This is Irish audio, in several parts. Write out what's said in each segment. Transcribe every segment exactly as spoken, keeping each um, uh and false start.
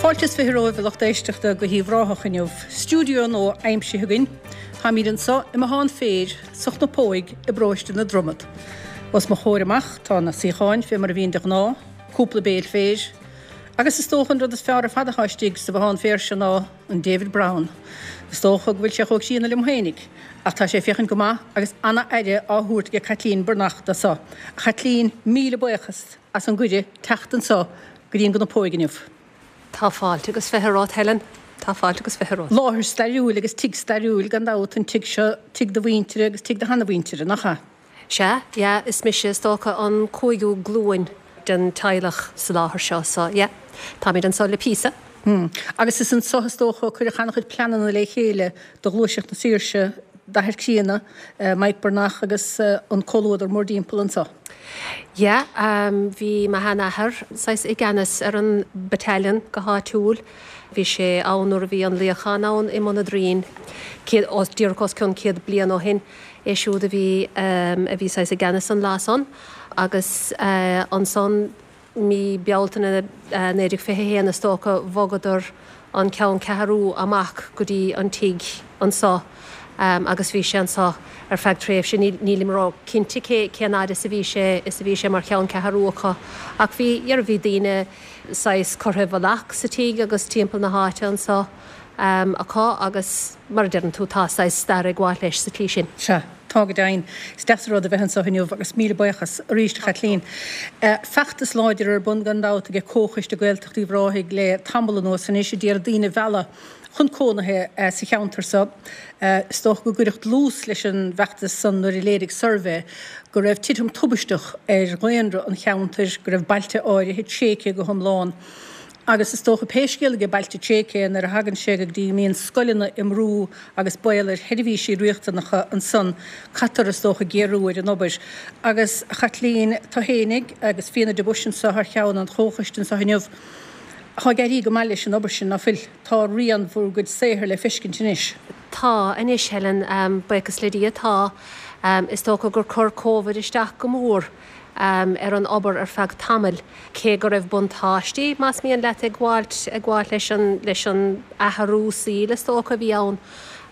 Fáilte is fiche romhaibh a lucht éisteachta go hUíbh Ráthach inniu. Stiúideo nua aimsithe againn. Táimid anseo i mbothán féir sa Chnapóig i bparóiste na Dromad. Os mo chomhair amach tá na suíocháin fé mar a bhíonn de ghnáth, cúpla béal féir, agus is dócha an rud is fearr ar fad atá istigh sa bhothán féir seo ná an David Brown. Is dócha go bhfuil sé chomh críonna liom féinig, ach tá sé ag féachaint go maith agus ana-aire á thabhairt ag Caitlín Breathnach dó so. A Chaitlín, míle buíochas as an gcuireadh teacht anseo go dtí an gCnapóig inniu. Tá fáilte agus fiche romhat Helen, Tá fáilte agus fiche romhat. Láthair stairiúil agus tigh stairiúil gan dabht an tigh seo tigh do mhuintire agus tigh do sheanamhuintire, nach ea? Sea, yeah, is mise is dócha an cúigiú glúin den teaghlach sa láthair seo, so yeah, táimid anseo le píosa. Hmm. Agus is anseo is dócha cuireadh an-chuid pleananna le chéile do ghluaiseacht na saoirse d'athair críonna, Mike Breathnach agus an comhluadar mórdtimpeall anseo. Yeah, um, bhí mo sheanathair saghas i gceannas ar an battalion go háitiúil. Bhí sé ann nuair a bhí an luíochán ann i mBun an Doirín díreach os cionn céad bliain ó shin é siúd a bhí um, a bhí saghas i gceannas an lá san agus uh, ansan mí Bealtaine uh, naoi déag fiche haon is dócha bhogadar an ceanncheathrú amach go dtí an tigh anseo. Um, agus bhí sé anseo ar feadh tréimhse nílim ró-chinnte cé cén fhad is a bhí sé is a bhí sé mar cheanncheathrú acu ach bhí ar bhí daoine saghas curtha i bhfolach sa tigh agus timpeall na háite anseo um, acu agus mar a deireann tú tá saghas stair ag gabháil leis sa tslí sin. Sea, tá go deimhin. Is deas rud a bheith anseo inniu agus míle buíochas arís Caitlín. Uh, feachtas láidir ar bun gan dabht ag Comhchoiste Gaeltacht Uíbh Ráthaigh le tamall anuas anois a d'iarraidh daoine a mhealladh chun cónaithe uh, sa cheantar seo. Uh, is dócha go gcuireadh dlús leis an bhfeachtas san nuair a léirigh suirbhé go raibh titim tubaisteach ar dhaonra an cheantair, go raibh bailte áirithe tréigthe go hiomlán. Agus is dócha pé scéal go bailte tréigthe nuair a thagann sé go dtí mbíonn scoileanna i mbrú agus baol ar sheirbhísí riachtanacha ansan caithfear is dócha géarú ar an obair. Agus Chaitlín tú fhéinig agus Fianna de Buis anseo thar cheann an chomhchoiste anseo inniu. Tá ag éirí go maith leis an obair sin nach bhfuil tá rian bhur gcuid saothair le feiscint anois. Tá anois Helen um, buíochas le Dia tá um, is dócha gur chuir Covid isteach go mór um, ar an obair ar feadh tamaill. Cé go raibh buntáistí más mian leat ag gabháil ag gabháil leis an leis an athrú saoil is dócha bhí ann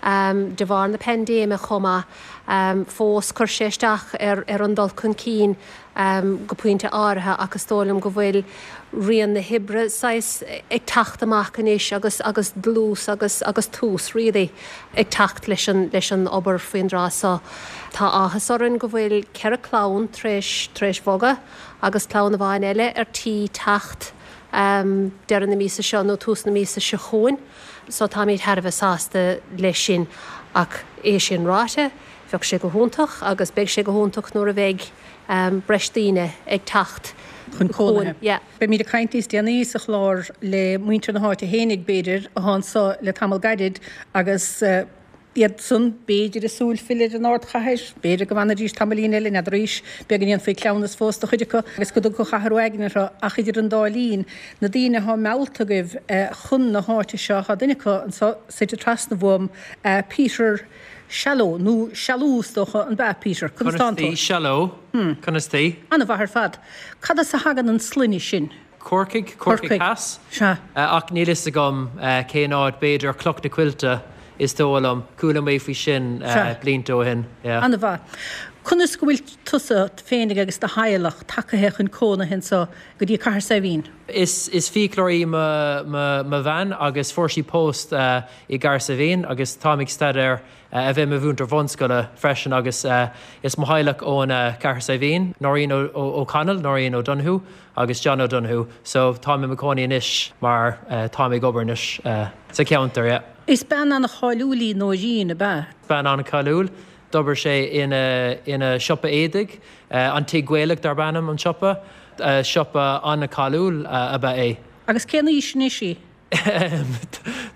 um, de bharr na paindéime chomh maith um, fós chuir sé isteach ar, ar an dul chun cinn um, go pointe áirithe ach is dóigh liom go bhfuil rian na hoibre saghas ag teacht amach anois agus agus dlús agus agus tús really ag teacht leis an leis an obair faoin dtráth seo. Tá áthas orainn go bhfuil ceithre chlann tar éis tar éis bogadh agus clann amháin eile ar tí teacht um, deireadh na míosa seo nó tús na míosa seo chugainn, so táimid thar a bheith sásta leis sin ach é sin ráite, bheadh sé go hiontach agus beidh sé go hiontach nuair a bheidh um, breis daoine ag teacht chun cónaithe. Yeah. Beimid ag caint níos déanaí sa chlár le muintir na háite fhéinig b'fhéidir atá anseo le tamall gairid agus uh, iad san b'fhéidir ag súil filleadh ar an ardchathair, b'fhéidir go bhfanfaidís tamaillín eile n'fheadar b'fhéidir go ndéanfaí cleamhnas fós do chuid acu agus go dtugfadh athrú aigne orthu ach idir an dá linn na daoine atá meallta agaibh uh, chun na háite seo tá duine acu anseo suite trasna uaim uh, Peter Shallow nó Shallow is dócha an b'ea Peter Conas Conas tá Shallow Conas tá An-mhaith ar fad. Cad as a thagann an sloinne sin? Corcaigh Corcaigh Theas Sea. ach níl fhios agam cén áit b'fhéidir Cloch na Coillte is dóigh liom chuala mé faoi sin blianta ó shin. An-mhaith. Conas go bhfuil tusa féinig agus do theaghlach tagaithe chun cónaithe anseo go dtí Cathair Saidhbhín. Is is fiaclóir í mo bhean agus fuair sí post uh, i gCathair Saidhbhín agus táim ag staidéar uh, a bheith i mo mhúinteoir bunscoile freisin agus uh, is mo theaghlach ón uh, Cathair Saidhbhín, Noreen O'Connell, Noreen O'Donoghue agus John O'Donoghue, so táim i mo chónaí anois mar uh, táim ag obair anois uh, sa cheantar. Yeah. Is bean an-cháiliúil í Nóirín ab ea. Bean an-cháiliúil, D'oibir sé ina ina siopa éadaigh, uh, an Tigh Gaelach darb ainm an siopa, uh, siopa an-cháiliúil uh, ab ea é. Agus cén aois anois í?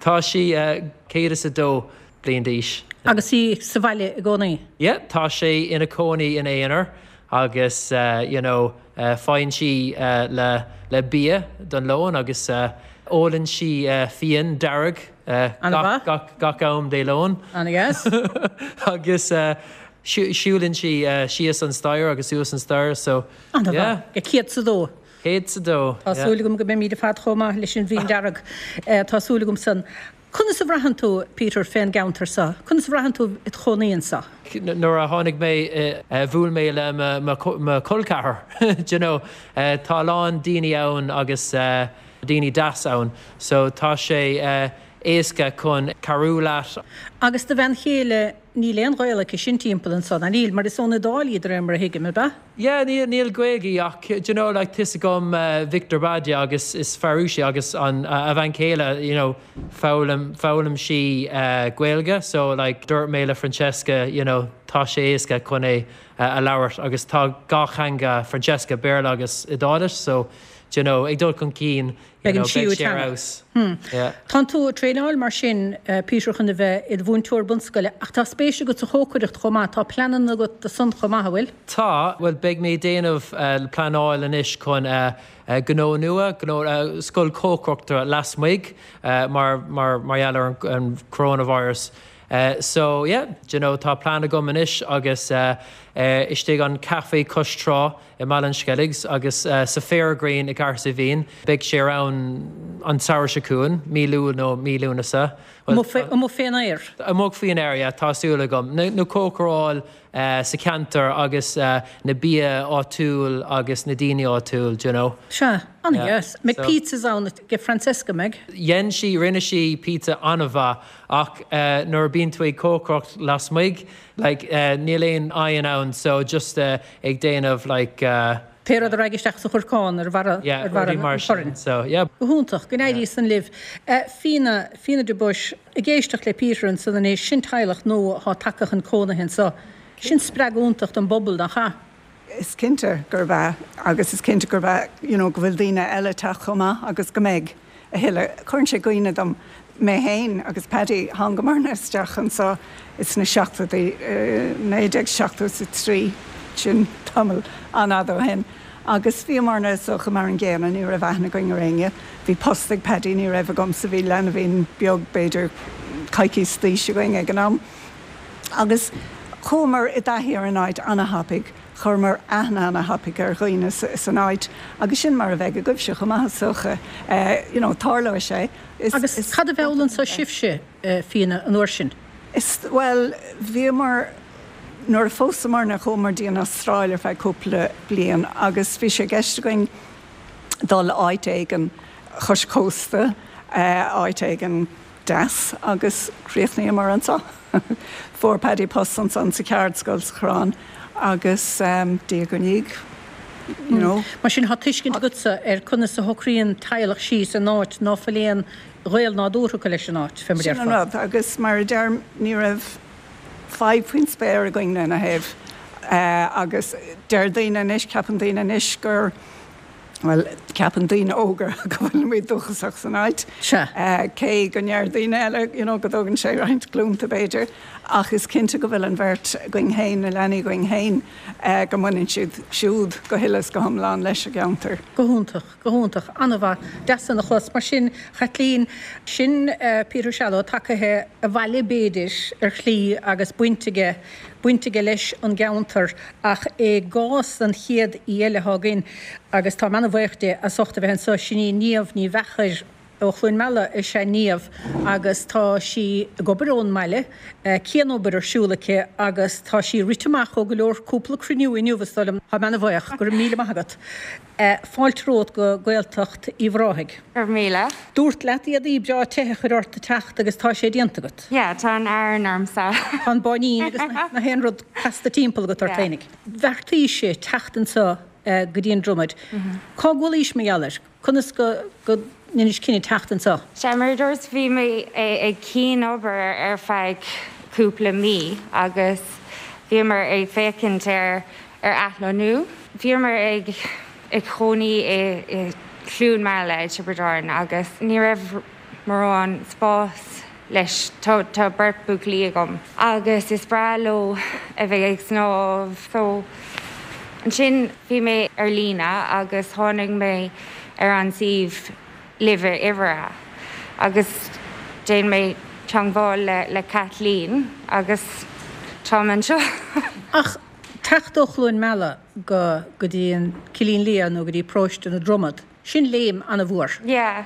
Tá sí uh, céad is a dó bliain d'aois. Agus í sa bhaile i gcónaí? Yeah, tá sé ina cónaí ina aonar agus uh, you know, uh, faigheann sí uh, le, le bia don lón agus uh, ólann sí uh, fíon dearg uh, gach, gach, gach am Dé Luain. An-deas? agus uh, siúlann sí uh, síos an staighre agus suas an staighre so yeah. Go céad is a dó. Céad is a dó. Tá súil agam go mbeimid ar fad chomh maith leis an bhfíon dearg. Tá súil agam san. Conas a bhraitheann tú, Peter, fén gceantar seo? Conas a bhraitheann tú i do chónaí anseo? Nuair a tháinig mé bhuail mé le mo chol ceathar. Do you know, tá a lán daoine ann agus daoine deas ann, so tá sé éasca chun cabhrú leat. Agus do bhean chéile níl aon ghaol aici sin timpeall anso, ná níl, mar is ón Iodáil iad de réir mar a thuigim, ab ea? Yeah, níl níl Gaeilge ach do you know like tá fhios agam Victor Badia agus is fear Rúiseach agus an a bhean chéile you know foghlaim foghlaim sí Gaeilge so like dúirt mé le Francesca you know tá sé éasca chun é a labhairt agus tá dhá theanga Francesca Béarla agus Iodáilis so do you know ag dul chun cinn Beidh an tríú teanga. Tánn tú ag traenáil mar sin, Peter, chun a bheith i do mhúinteoir bunscoile, ach tá spéis agat sa chócaireacht chomh maith, tá pleananna agat do san chomh maith, an bhfuil? Tá, bhuel beidh mé ag déanamh pleanáil anois chun gnó nua, gnó, scoil cócaireachta lasmuigh mar mar mar gheall ar an coronavirus. So yeah, do you know tá plean agam anois agus istigh an café cois trá i mBaile an Sceilgs agus sa Fairgreen i gCahersiveen. Beidh sé ar ann an samhradh seo chugainn, mí Iúil nó mí Lúnasa. Amuigh fén aer? Amuigh faoin aer, yeah, tá súil agam. Na cócaráil sa cheantar agus na bia áitiúil agus na daoine áitiúil, do you know. Sea, an-dheas. Mbeidh pizzas ann ag Francesca, mbeidh? Dhein sí, rinne sí pizza an-mhaith ach nuair a bíonn tú ag cócaireacht lasmuigh, like níl aon oigheann ann so just ag déanamh like. Pé rud a raghaidh isteach sa chorcán ar bharra Yeah, rudaí mar sin so yeah. Go hiontach, go n-éirí san libh. Fíona, Fíona de Buis, ag éisteacht le Peter ansan anois, sin teaghlach nua atá tagtha chun cónaithe anso. Sin spreagadh iontach don bpobal, nach ea? Is cinnte gurb ea agus is cinnte gurb ea you know go bhfuil daoine eile ag teacht chomh maith agus go mbeidh a thuilleadh. Cuireann sé i gcuimhne dom mé féin agus Paddy, thángamarna isteach anso sna seachtóidí, naoi déag seachtó is a trí, sin tamall an-fhada ó shin, agus bhíomarna is dócha mar an gcéanna, ní raibh aithne againn ar éinne. Bhí post ag Paddy, ní raibh agamsa, bhí leanbhín beag b'fhéidir coicís d'aois againn ag an am. Agus chuamar i dtaithí ar an áit ana-thapaidh, chuireamar aithne ana-thapaidh ar dhaoine san áit agus sin mar a bheidh agaibhse chomh maith is dócha. You know, tarlóidh sé. Agus cad a mheall anso sibhse, Fíona, an uair sin? Is, bhuel, bhíomar, nuair a phósamarna chuamar dtí an Astráil ar feadh cúpla bliain agus bhí sé i gceist againn dul áit éigin chois cósta, áit éigin deas agus chríochnaíomar anso. Fuair Paddy post ansan sa cheardscoil sa Choireán agus diaidh ar ndiaidh, you know. Mar sin tá tuiscint agatsa ar conas a shocraíonn teaghlach síos in áit ná fuil aon ghaol nádúrtha acu leis an áit, fé mar Sin an déarfá. rud agus mar a deirim ní raibh fadhb faoin spéir againn lena thaobh agus deir daoine anois, ceapann daoine anois gur, bhuel, ceapann daoine óga go bhfuilimid dúchasach san áit, Sea. cé go ndeir daoine eile, you know, go dtógann sé roinnt glúnta b'fhéidir, ach is cinnte go bhfuil an bheirt againn féin, na leanaí againn féin, go mbaineann siad siúd go huile is go hiomlán leis an gceantar. Go hiontach, go hiontach, an-mhaith, deas san a chlos. Mar sin, Chaitlín, sin Peter Shallow tagaithe abhaile b'fhéidir ar shlí agus baint aige, baint aige leis an gceantar ach i gcás an chéad aoi eile atá againn, agus táim ana-bhuíoch di as ucht a bheith anseo, sin í Niamh Ní Mheachair ó Chluain Meala is ea Niamh agus tá sí ag obair ón mbaile, cianobair ar siúl aici agus tá sí rite amach ó go leor cúpla cruinniú inniu is dóigh liom. Táim ana-bhuíoch, go raibh míle maith agat. Fáilte romhat go Gaeltacht Uíbh Ráthaigh. Go raibh míle. Dúrt leat éadaí breá te a chur ort ag teacht agus tá sé déanta agat. Yeah, tá an Aran ormsa. Tá an báinín agus na haon rud casta timpeall agat ort Yeah. fhéinig. Bheartaís teacht anseo go dtí an Dromaid. Cá gcualaís mar gheall air? Conas go go ndeinis cinneadh teacht anseo? Sea, mar a dúirt, bhí mé ag cianobair ar feadh cúpla mí agus bhíomar ag féachaint ar ar athlonnú. Bhíomar ag ag cónaí i i Cluain Meala i Tiobraid Árann agus ní raibh mórán spás leis. Tá tá beirt buachaillí agam agus is breá leo a bheith ag snámh so ansin bhí mé ar líne agus tháinig mé ar an suíomh Live Iveragh agus déan mé teagmháil le le Kathleen agus táim anseo. Ach Teacht ó Chluain Meala go go dtí an Cillín Liath nó go dtí Paróiste na Dromad, sin léim an-mhór. Yeah.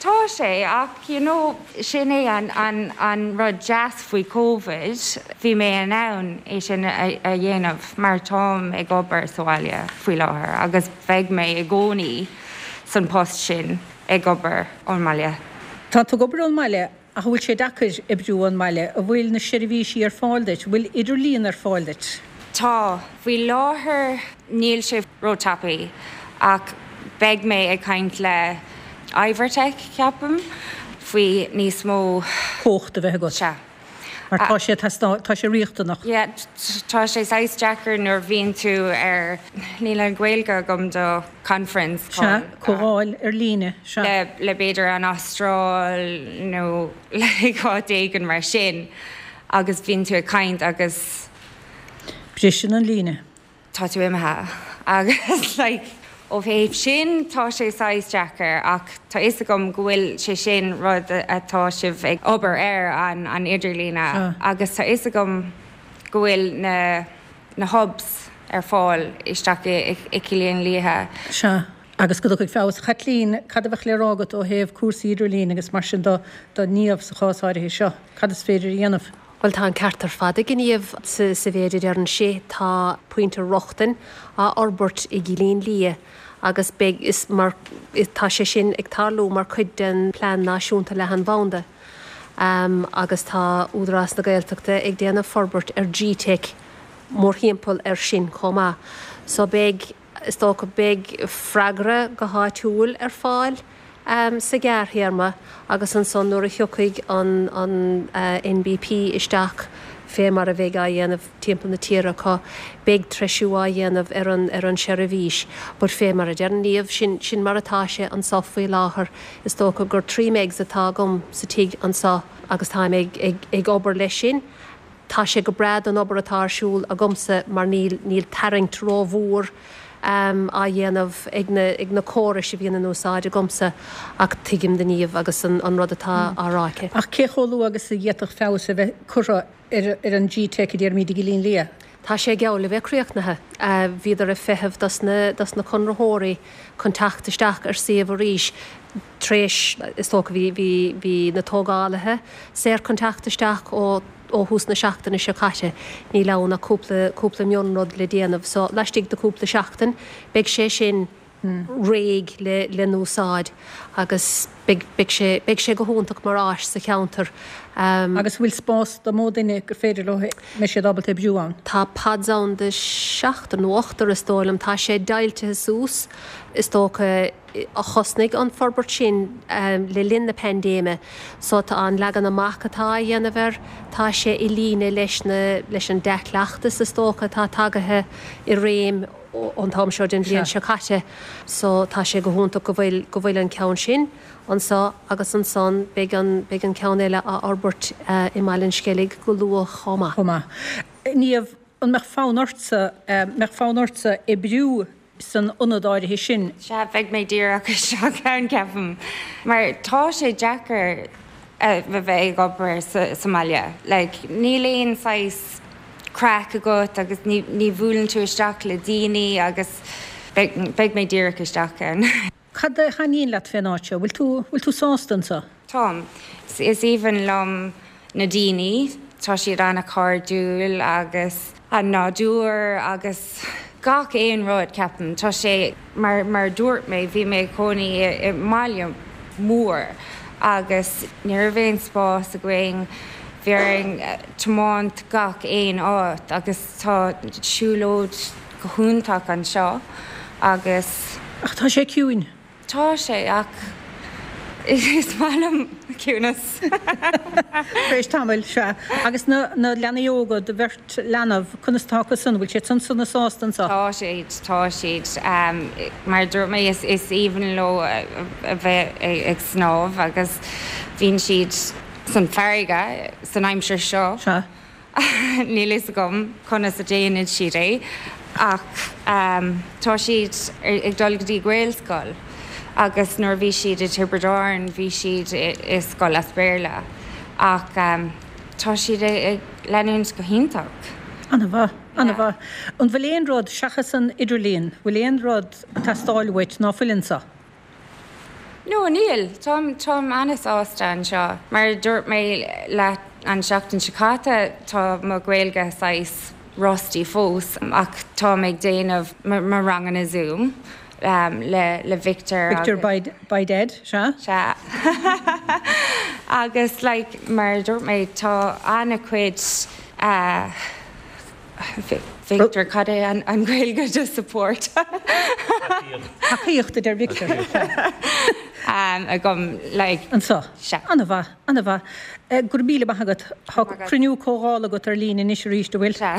Tá sé ach you know, sin é an, an, an rud deas faoi Covid, bhí mé in ann é sin a, a dhéanamh mar táim ag obair sa bhaile faoi láthair agus beidh mé i gcónaí san post sin ag obair ón mbaile. Tá tú ag obair ón mbaile ach bhfuil sé deacair oibriú ón mbaile, an bhfuil na seirbhísí ar fáil duit, bhfuil idirlíon ar fáil duit. Tá faoi láthair níl sé róthapaidh ach beidh mé ag caint le Ivertech ceapaim faoi níos mó cumhacht a bheith agat. Sea. Mar tá sé tá sé riachtanach. Yeah, tá sé saghas deacair nuair bhíonn tú ar níl an Ghaeilge agam do conference Sea, comhdháil ar líne sea. le le b'fhéidir an Astráil nó le áit éigin mar sin agus bhíonn tú ag caint agus Briseann an líne. tá tú imithe agus like, ó thaobh sin tá sé saghas deacair ach tá fhios agam go bhfuil sé sin rud atá sibh ag obair ar an an idirlíne agus tá fhios agam go bhfuil na na hubs ar fáil isteach i i Cillín Liath. Sea. Agus go dtiocfaidh feabhas. Chaitlín, cad a bheadh le rá agat ó thaobh cúrsaí idirlín agus mar sin do do Niamh sa chás áirithe seo? Cad is féidir a dhéanamh? Bhuel tá an ceart ar fad ag Niamh sa sa mhéid a deireann sí tá pointe rochtain á fhorbairt i gCillín Liath agus beidh is mar tá sé sin ag tarlú mar chuid den plean náisiúnta leathanbhanda. Um, agus tá Údarás na Gaeltachta ag déanamh forbairt ar G-Tech mórthimpeall ar sin chomh maith. So beidh is dócha beidh freagra go háitiúil ar fáil um, sa ghearrthéarma agus ansan nuair a thiocfaidh an, an uh, NBP isteach fé mar a bheidh á dhéanamh timpeall na tíre acu beidh treisiú á dhéanamh ar an ar an seirbhís, but fé mar a deir Niamh sin sin mar atá sé anseo faoi láthair is dócha gur trí megs atá agam sa tigh anseo agus táim ag, ag, ag obair leis sin. Tá sé go breá don obair atá ar siúl agamsa mar níl níl tarraingt rómhór um, á dhéanamh ag na, ag na córais a bhíonn in úsáid agamsa ach tuigim do Niamh agus an, an rud atá á rá aici. Ach cé chomh luath agus a d'fhéadfadh feabhas a bheith curtha ar, ar an G-Tech a deirimid i gCillín Liath? Tá sé geall le bheith críochnaithe. Uh, Bhíodar ag feitheamh dos na, dos na conraitheoirí chun teacht isteach ar suíomh arís tréis is dócha bhí bhí bhí na tógálaithe saor chun teacht isteach ó ó thús na seachtaine seo caite níl ann ach cúpla cúpla mionrud le déanamh, so laistigh de cúpla seachtain beidh sé sin réidh le le n-úsáid agus beidh beidh sé beidh sé go hiontach mar áis sa cheantar. Um, Agus bhfuil spás do mó duine gur féidir leo mbeidh siad ábalta oibriú ann. Tá pods ann de seachtar nó ochtar is dóigh liom tá sé deighilte suas is dócha a thosnaigh an forbairt sin um, le linn na paindéime, so tá an leagan amach atá á dhéanamh air, tá sé i líne leis na leis an dea-chleachtas is dócha atá tagaithe i réim ón t-am seo den bhliain seo caite, so tá sé go hiontach go bhfuil go bhfuil an ceann sin anseo agus ansan beidh an beidh an ceann eile á fhorbairt uh, i mBaile an Sceilg go luath chomh maith. Chomh maith. Niamh an mbeadh fonn ortsa mbeadh fonn ortsa oibriú san ionad áirithe sin. Sea bheidh mé díreach isteach ann ceapaim. Mar tá sé deacair a bheith ag obair sa, sa mbaile. Like, níl aon saghas craic agat agus ní, ní bhuaileann tú isteach le daoine agus beidh, beidh mé díreach isteach ann. Cad a thaitníonn leat fén áit seo, bhfuil tú bhfuil tú sásta anseo? Táim. Is, is aoibhinn liom na daoine, tá siad an-chairdiúil agus an nádúr agus gach aon rud ceapaim. Tá sé mar, mar dúirt mé bhí mé cónaí i, i mbaile mór agus ní raibh aon spás againn bhí orainn tiomáint gach aon áit agus tá siúlóid go hiontach anseo agus Ach tá sé ciúin. Tá sé ach is maith liom ciúnas. Éis tamaill sea agus na na leanaí óga do bheirt leanbh conas tá san bhfuil siad san sona sásta anseo. Tá siad tá siad um, mar dúirt mé is, is aoibhinn leo a bheith ag snámh agus bíonn siad san fharraige san aimsir seo. Sea. Níl fhios agam conas a déanann siad é ach um, tá siad ag dul go dtí Gaelscoil agus nuair bhí siad i Tiobraid Árann bhí siad i, i scoil as Béarla ach um, tá siad ag leanúint go hiontach. An-mhaith. An-mhaith. An bhfuil aon rud, seachas an idirlíon, bhfuil aon rud ag teastáil uait ná fuil anseo? No, níl. Táim táim an-sásta anseo. Mar a dúirt mé leat an seachtain seo caite, tá mo Ghaeilge saghas rusty fós ach táim ag déanamh mo ranganna Zoom le le Victor Victor by dead, sea? Sea. Agus like mar a dúirt mé tá an-chuid uh, Victor cad é an, an Ghaeilge de support. Tacaíocht a deir Victor. um, agam like Anseo. Sea. An-mhaith, an-mhaith. Go raibh míle maith agat. Tá cruinniú comhdhála agat ar líne anois arís an bhfuil. Sea.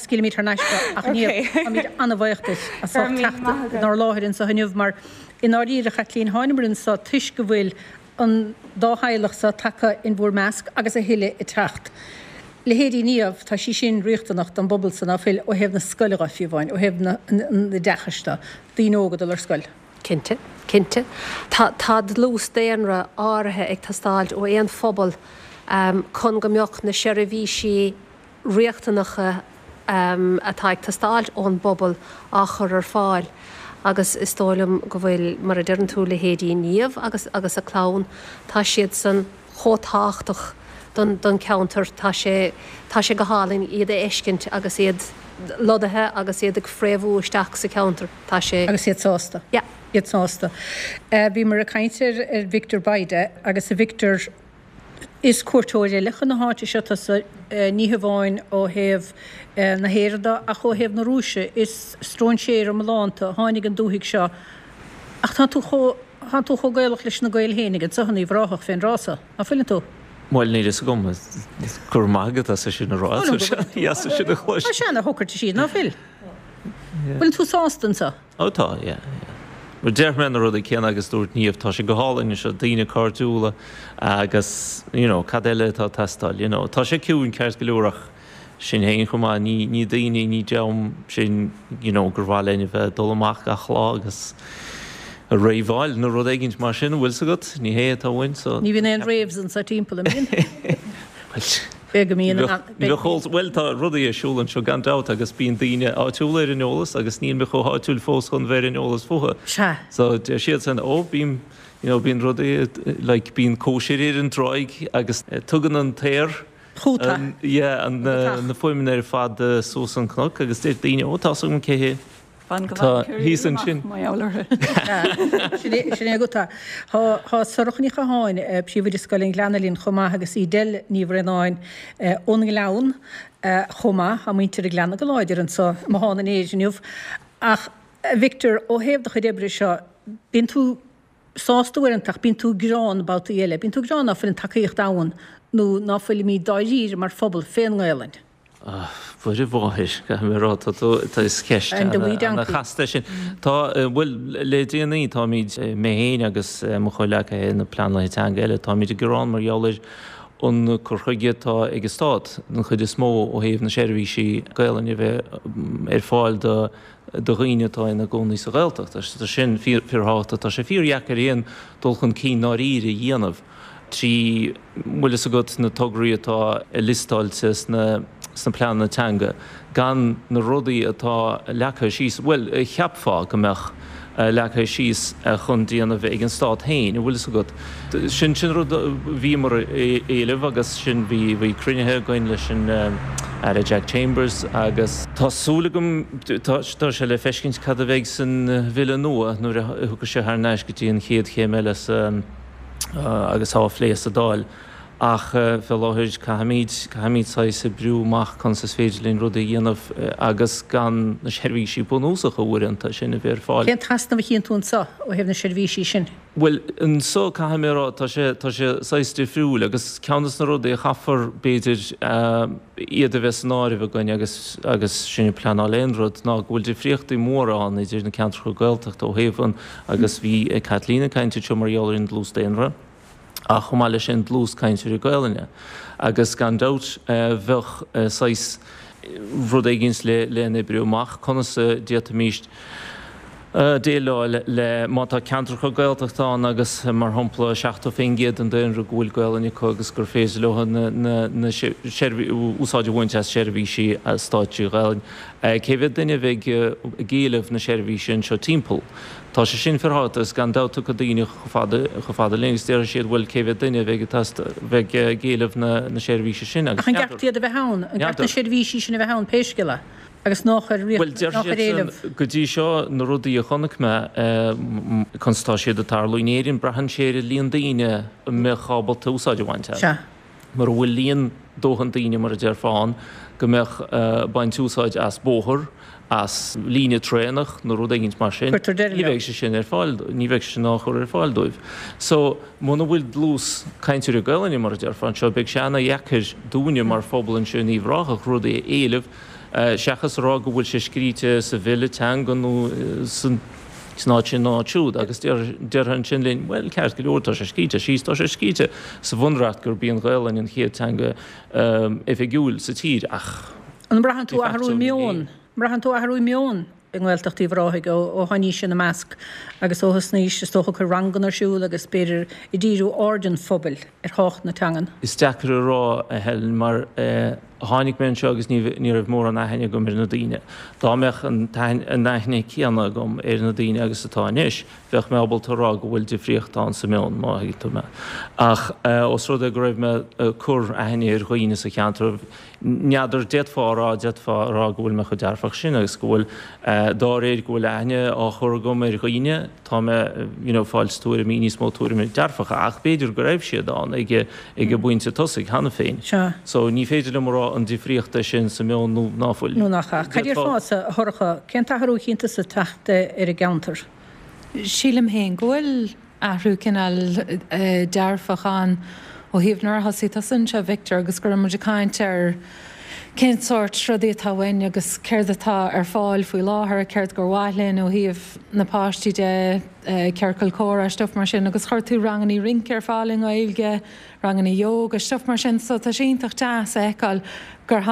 Scaoilfimid thar n-ais ach ní táimid an-bhuíoch duit as Go raibh míle teacht maith agat. inár láthair anseo inniu mar i ndáiríre a Chaitlín thánamar anseo toisc go bhfuil an dá theaghlach seo tagtha in bhur measc agus a thuilleadh ag teacht. Leithéidí Niamh tá sí sin riachtanach don bpobal san ná fuil ó thaobh na scoile fiú amháin, ó thaobh na oideachais de, daoine óga dul ar scoil. Cinnte, cinnte. Tá tá dlús daonra áirithe ag teastáil ó aon phobal um, chun go mbeadh na seirbhísí riachtanacha um, atá ag teastáil ón bpobal á chur ar fáil. Agus is dóigh liom go bhfuil mar a deireann tú leithéidí Niamh agus agus a clann, tá siad san chomh tábhachtach don, don cheantar tá sé tá sé go hálainn iad a fheiscint agus iad lonnaithe agus iad ag fréamhú isteach sa cheantar tá sé Agus iad sásta. Yeah. Iad sásta. Uh, bhí mar a caintear ar Victor Baide agus a Victor is cuairteoir eile chun na háite seo tusa uh, ní hamháin ó thaobh uh, na hÉireann ach ó thaobh na Rúise is stróinséir iomlánta tháinig an dúthaigh seo ach tá tú chomh tá tú chomh Gaelach leis na Gaeil féinig anseo in Uíbh Ráthach fén rása. Ná fuileann tú? Bhuel níl fhios agam go raibh maith agat as sin a rá as sin a chlois. Tá sé na thócair siad ná fuil. Bhfuil tú sásta anseo? Ó tá, yeah, yeah. Mar deir mé na rudaí céanna agus dúirt Niamh tá sé go hálainn seo daoine cairdiúla agus you know, cad eile atá ag teastáil, you know. Tá sé ciúin ceart go leor ach sin féin chomh maith ní ní daoine ní dream sin you know, gur mhaith linn a bheith dul amach gach lá agus a raveáil nó rud éigin mar sin bhfuil agat ní hé atá uainn so Ní bhíonn aon raves anseo timpeall an mbíonn? Be go mbíonn Well tá rudaí ar siúl anseo gan dabht agus bíonn daoine áitiúla ar an eolas agus níl mé chomh háitiúil fós chun bheith ar an eolas fúthu. Sea. So deir siad san ó bím you know, bíonn rudaí like bíonn cóisir ar an tráigh agus eh, tugann an t-aer Chúta. an, yeah, an, uh, na fuaimeanna ar fad uh, suas an cnoc agus deir daoine ó tá an cé Fan go Tá thíos ansin. Má orthu. Sin é go tá Tá Sorcha Ní Chatháin príomhoide Scoil an Ghleanna linn chomh maith agus Edel Ní Bhraonáin ón nGleann chomh maith tá muintir an Ghleanna go láidir anseo Mahan an éis inniu. Ach Victor ó thaobh do chuid oibre seo bíonn tú sásta uaireanta ach bíonn tú gearán babhtaí eile, bíonn tú gearán ná fuil an tacaíocht ann nó ná fuilimid dáiríre mar phobal fén nGaelainn. Bhuel mháthair go rá tá is ceist And the wee donkey. chasta sin. Tá bhuel le déanaí táimid mé féin agus mo chomhghleacaithe na pleanálaithe teanga eile táimid ag gearán mar gheall ar an cur chuige atá ag an stát an chuid is mó ó thaobh na seirbhísí Gaelainne a bheith ar fáil do do dhaoine atá ina gcónaí sa Ghaeltacht. Tá sin fíorthábhachtach tá sé fíordheacair aon dul chun cinn dáiríre a dhéanamh. Trí bhfuil fhios agat na tograí atá liostáilte sna sna pleananna teanga gan na rudaí atá leagtha síos, bhuel cheapfá go mbeadh leagtha síos chun déanamh ag an stát féin, bhfuil fhios agat. Sin sin rud bhíomar ag éileamh agus sin bhí bhí cruinnithe againn leis an Aire Jack Chambers agus tá súil agam tá sé le feiscint cad a bheidh san bhille nua nuair a thiocfaidh sé thar n-ais go dtí an chéad chéim eile sa agus á phlé sa Dáil. Ach fé láthair caithfimid caithfimid saghas oibriú amach conas is féidir linn rudaí a dhéanamh agus gan na seirbhísí bunúsacha uaireanta sin a bheith ar fáil. Cén t-easnamh a chíonn tú anseo ó thaobh na seirbhísí sin? Bhuel anseo caithfidh mé a rá tá sé tá sé saghas difriúil agus ceann de na rudaí a chaithfear b'fhéidir iad a bheith san áireamh againn agus agus sin ag pleanáil aon rud ná go bhfuil difríochtaí móra ann idir na ceantracha Gaeltachta ó thaobh an agus bhí Kathleen ag caint anseo mar gheall ar an dlús daonra. Ach chomh maith leis sin dlús cainteoirí Gaelainne. Agus gan dabht bheadh saghas rud éigin le le n-oibriú amach conas a d'fhéadfaimis déileáil le má tá ceantracha Gaeltachta ann agus mar shampla seachtó faoin gcéad den daonra go bhfuil Gaelainn acu agus gur féidir leo na na úsáid a bhaint as seirbhísí stáit trí Ghaelainn. Cé mhéad duine a bheidh ag éileamh na seirbhíse anseo timpeall? Tá sé sin fíorthábhachtach agus gan dabht tiocfaidh daoine chomh fada chomh fada linn agus déarfaidh siad bhuel cé mhéad duine a bheidh bheidh ag éileamh na na seirbhíse sin agus Ach an gceart iad a bheith ann? An gceart na seirbhísí sin a bheith ann pé scéal é? Agus nách ar Bhuel, deir nách ar siad éileamh. san, go dtí seo, na rudaí a chonaic mé, conas atá siad ag tarlú in Éirinn, braitheann sé ar an líon daoine a mbeadh ábalta úsáid a bhaint as. Sea. Mura bhfuil líon dóthain daoine, mar a déarfá, ann go mbeadh ag baint úsáid as bóthar, as líne traenach nó rud éigint mar sin, Cuirtear deireadh ní leo. bheidh sé sin ar fáil, ní bheidh sé sin á chur ar fáil dóibh. So, muna bhfuil dlús cainteoirí Gaelainne, mar a déarfá, anseo, beidh sé ana-dheacair dúinne mar phobal anseo in Uíbh Ráthach rudaí a éileamh, seachas a rá go bhfuil sé scríte sa bhille teanga nó san áit sin nó áit siúd agus déarfá ansin linn, bhuel, ceart go leor, tá sé scríte síos, tá sé scríte sa bhunreacht gurb í an Ghaelainn an chéad teanga oifigiúil sa tír ach An mbraitheann de tú athrú facto ní meoin? hé. Mbraitheann tú athrú meoin i nGaeltacht Uíbh Ráthaigh ó tháinís ina measc agus ó thosnaís, is dócha, ag cur ranganna ar siúl agus b'fhéidir ag díriú aird an phobail ar thábhacht na teangan? Is deacair a rá, a Helen, mar tháinig mé anseo agus ní ní raibh mórán aithne agam ar na daoine. Dá mbeadh an an aithne céanna agam ar na daoine agus atá anois, bheadh mé ábalta a rá go bhfuil difríocht ann sa meon, má thuigeann tú mé. Ach os rud é go raibh mé ag cur aithne ar dhaoine sa cheantar, N'fheadar, d'fhéadfá a rá, d'fhéadfá a rá go bhfuil mé chomh dearfach sin agus go bhfuil, dá réir go bhfuil aithne á chur agam ar dhaoine, tá mé, you know, fáilt tuairimí, níos mó tuairimí dearfacha, ach b'fhéidir go raibh siad ann ag, ag an bpointe tosaigh cheana féin. Sea. So ní féidir liom a rá an difríocht é sin sa meon nó ná fuil. Nó nach ea. Cad D'fhéadfá. déarfása, a Shorcha, cén t-athrú a chíonn tusa ag teacht ar an gceantar? Sílim féin go bhfuil athrú cineál dearfach ann ó thaobh nuair a thosaigh tusa anseo, Victor, agus go raibh muid ag caint ar cén sórt rudaí atá uainn agus céard atá ar fáil faoi láthair, céard gur mhaith linn ó thaobh na páistí de, ciorcal comhrá, stuif mar sin agus chuir tú rangannaí rince ar fáil i nGaeilge, rangannaí yoga, stuif mar sin so tá sé iontach deas a fheiceáil gur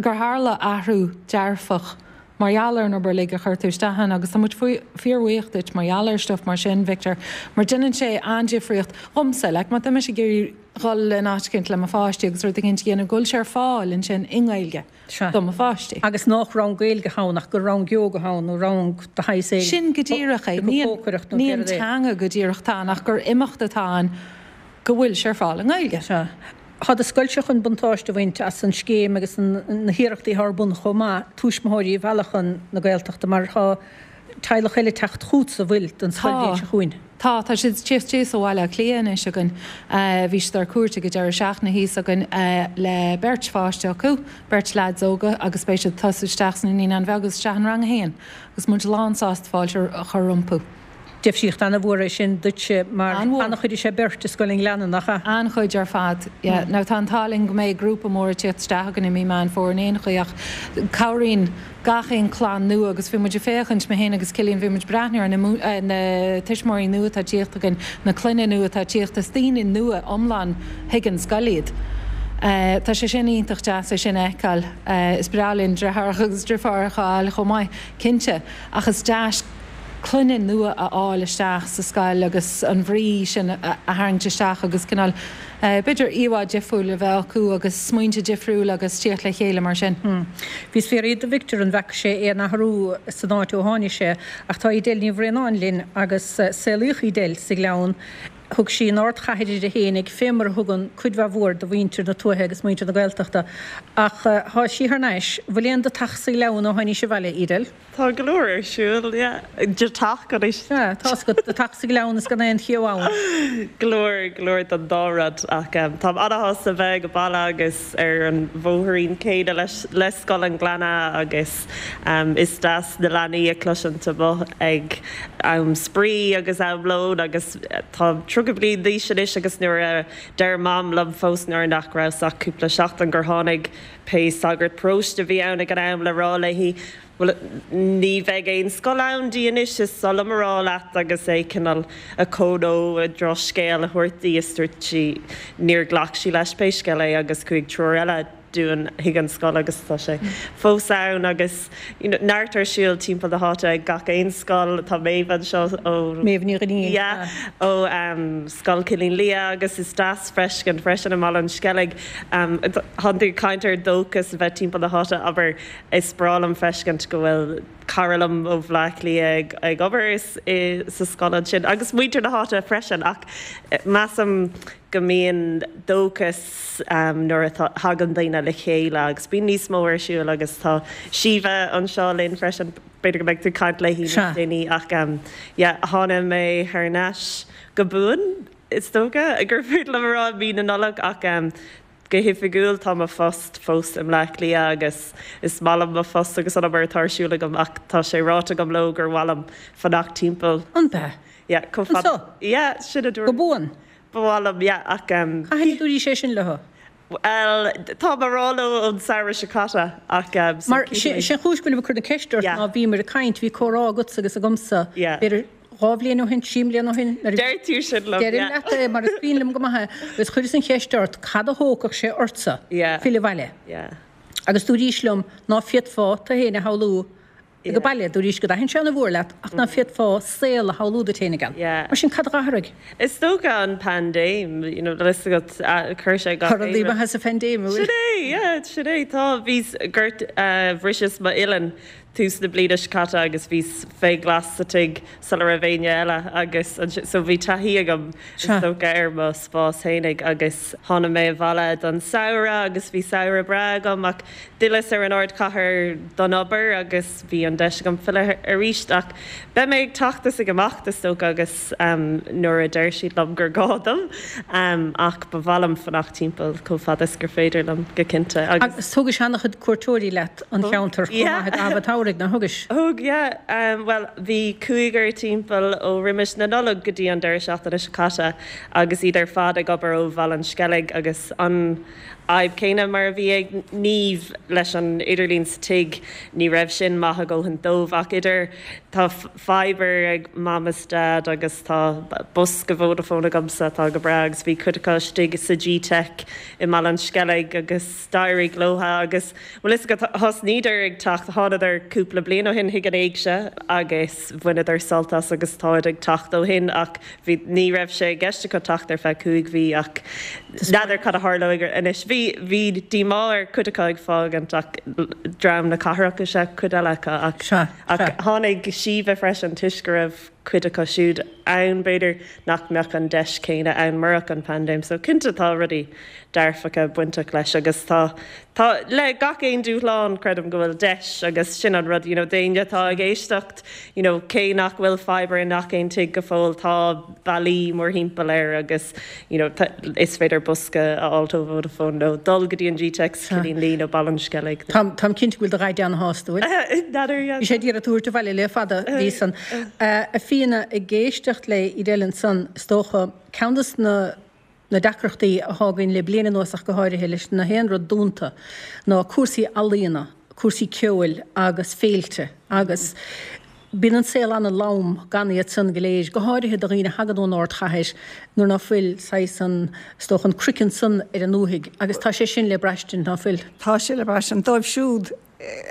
gur tharla athrú dearfach mar gheall ar an obair uilig a chuir tú isteach ann agus tá muid fíorbhuíoch duit mar gheall ar stuif mar sin, Victor, mar déanann sé an-difríocht dhomsa, like má tá mise ag iarraidh dhul in áit éicint le mo pháistí agus rud éicint a dhéanamh, go bhfuil sé ar fáil ansin i nGaeilge Sea. do mo pháistí. Agus nách rang Gaeilge ann ach gur rang yoga ann nó rang de shaghas éigin. Sin go díreach é. Ní an, Cócaireacht nó ní an céard é. teanga go díreach atá ann ach gur imeacht atá ann go bhfuil sé ar fáil i nGaeilge. Sea. Tá do scoilse chun buntáiste a bhaint as an scéim agus na hiarrachtaí atá ar bun chomh maith tuismitheoirí a mhealladh chun na Gaeltachta mar tá teaghlach eile ag teacht chugatsa, bhfuil, don scoilbhliain Tá. seo chugainn. Tá, tá siad ag tíocht síos ó Bhaile Átha Cliath anois againn. Bhí siad ar cuairt ag an deireadh seachtaine thíos againn le beirt pháiste acu, beirt leaids óga agus beidh siad ag tosú isteach sna Naíonáin Bheaga agus isteach in Rang a haon agus muid lánsásta fáilte a chur rompu. Difríocht an-mhór é sin duitse mar An-mhór. an-chuid is ea beirt i Scoil an Ghleanna, nach ea? An-chuid ar fad, yeah. Now tá an t-ádh linn go mbeidh grúpa mór ag tíocht isteach againn i mí Meán Fómhair in aon chaoi ach cabhraíonn gach aon clann nua agus bhí muid ag féachaint, mé féin agus Cillian, bhí muid ag breathnú ar na na tuismitheoirí nua atá ag tíocht againn, na clainne nua atá ag tíocht, is daoine nua iomlán chuig an scoil iad. Tá sé sin iontach deas é sin a fheiceáil. Is breá linn deartháireacha agus deirfiúracha a fháil chomh maith, cinnte, ach is deas clainne nua a fháil isteach sa scoil agus an bhrí sin a tharraingt isteach agus cineál, b'fhéidir, íomhá difriúil a bheith acu agus smaointe difriúla agus tíocht le chéile mar sin. Bhíos ag fiafraí de Victor an bhfeaca sé aon athrú san áit ó tháinig sé ach tá Edel Ní Bhraonáin linn agus saolaíodh Edel sa Ghleann. Thug sí an ardchathair uirthi fhéinig, fé mar a thugann cuid mhaith mhór de mhuintir na tuaithe agus muintir na Gaeltachta. Ach tá sí thar n-ais. Bhfuil aon de teach sa Ghleann ó tháinís abhaile, Edel? Tá go leor ar siúl, yeah. De teach anois. Sea, tá's agat, de teach sa Ghleann is gan aon cheo ann. Go leor, go leor den dá rud ach táim ana-shásta bheith ag baile agus ar an bhóithrín céanna leis, le Scoil an Ghleanna agus is deas na leanaí a chloisint amuigh ag am spraoi agus am lóin agus tá tríocha bliain d'aois anois agus nuair a deir Mam liom fós nuair nach rabhas ach cúpla seachtain gur tháinig pé sagart paróiste a bhí ann ag an am le rá léi bhuel ní bheidh aon scoil ann di anois is oth liom a rá leat agus é cineál a cónó a drochscéal a thabhairt di is dúirt sí níor ghlac sí leis pé scéal é agus chuaigh triúr eile dúinn chuig an scoil agus tá sé fós ann agus you know, neart ar siúl timpeall na háite ag gach aon scoil tá Méabh anseo ó Méabh Ní Dhuinnín yeah, ó um, Scoil Chillín Liath agus is deas feiscint freisin i mBaile an Sceilg um, Tá tú ag caint ar dóchas a bheith timpeall na háite abair is breá liom feiscint go bhfuil cara liom ó Bhaile Átha Cliath ag, ag obair sa scoil ansin agus muintir na háite freisin ach eh, measaim go mbíonn dóchas um, nuair a thagann daoine le chéile agus bíonn níos mó ar siúl agus tá Síomha anseo linn freisin b'fhéidir go mbeidh tú ag caint léi níos déanaí ach um, yeah, tháinig mé thar n-ais go buan is dócha gur féidir liom a rá mí na Nollag ach um, go hoifigiúil tá mo phost fós i mBleá Cliath agus is maith liom mo phost agus an obair atá ar siúl agam ach tá sé ráite agam leo gur mhaith liom fanacht timpeall. An bea? Yeah, chomh fada. Anseo? Yeah, sin a dúirt. Go buan? Ba mhaith liom, yeah, ach um. Cathain a dúraís é sin leo? Bhuel, tá mé á rá leo ón samhradh seo caite ach um. Mar sin an chúis go bhfuilim ag cur na ceiste ort ná bhíomar ag caint, bhí comhrá agatsa agus agamsa, Yeah. b'fhéidir dhá bhliain ó shin, trí mbliana ó shin, nuair a Deir tú sin liom, Deirim yeah. leat é mar is cuimhin liom go maith é, agus chuireas an cheist ort cad a thógfadh sé ortsa Yeah. filleadh abhaile. Yeah. Agus dúraís liom ná féadfá tú féin a shamhlú Yeah. ag baile, dúraís go dtaitníonn sé an-mhór leat ach ná féadfá saol a shamhlú duit féin ann. Yeah. Mar sin cad a d'athraigh? Is dócha an paindéim, you know, tá a fhios agat uh, chuir sé gach Tá rudaí aon rud. maithe sa phaindéim, an bhfuil? Sin é, yeah, sin é, tá bhíos gort uh, bhriseas m'uillinn tús na bliana seo caite agus bhíos fé ghlas sa tigh sula raibh éinne eile agus so bhí taithí agam is dócha ar mo spás fhéinig agus tháinig mé abhaile don samhradh agus bhí samhradh breá agam ach d'fhilleas ar an ardchathair don obair agus bhí an deis agam filleadh arís ach beidh mé ag teacht is ag imeacht is dócha agus um, nuair a deir siad liom gur gá dom um, ach ba mhaith liom fanacht timpeall chomh fada is gur féidir liom go cinnte agus. Agus thugais an-chuid cuairteoirí leat an cheantar chomh maith ag am an tsamhraidh, nár thugais? Thug, yeah. Um, well, bhí cúigear timpeall ó roimis na Nollag go dtí an deireadh seachtaine seo caite agus iad ar fad ag obair ó Bhaile an Sceilg agus an fhadhb céanna mar a bhí ag Niamh leis an idirlíon sa tigh, ní raibh sin maith a dhóthain dóibh ach idir tá fibre ag mam is dad agus tá bosca Vodafone agamsa atá go breá agus bhí cuid acu istigh sa G-Tech i mBaile an Sceilg agus d'éirigh leo agus bhfuil fhios agat thosnaíodar ag teacht thánadar cúpla bliain ó shin chuig an éigse agus bhaineadar sult as agus táid ag teacht ó shin ach bhí ní raibh sé i gceist acu teacht ar feadh cúig mhí ach n'fheadar cad a tharlóidh anois. Bhí bhí díomá ar cuid acu ag fágaint ach dream na cathrach is ea cuid eile acu ach ach tháinig Síomha freisin toisc go raibh cuid acu siúd ann b'fhéidir nach mbeadh an deis céanna ann murach an paindéim so cinnte tá rudaí dearfacha bainteach leis agus tá tá le gach aon dúshlán creidim go bhfuil deis agus sin an rud you know d'éinne atá ag éisteacht you know cé nach bhfuil fibre i ngach aon tigh go fóill tá bealaí mórthimpeall air agus you know is féidir bosca a fháil ó Vodafone nó dul go dtí an G-Tech sa Chillín Liath nó Baile an Sceilg. Táim táim cinnte go bhfuil do dhaid ana-shásta, bhfuil? N'fheadar, yeah. Bhí sé d'iarraidh tú a thabhairt abhaile le fada, bhí san. A Fíona, ag éisteacht le Edel ansan, is dócha, ceann des na na deacrachtaí atá againn le bliain anuas ach go háirithe leis na haon rud dúnta ná cúrsaí ealaíona, cúrsaí ceoil agus féilte agus bíonn an saol ana-lom gan iad san go léir, go háirithe do dhaoine a thagann ón ardchathair nuair ná fuil saghas an, is dócha, an craiceann san ar an ndúthaigh agus tá sé sin le braistint, ná fuil? Tá sé le braistint dóibh siúd.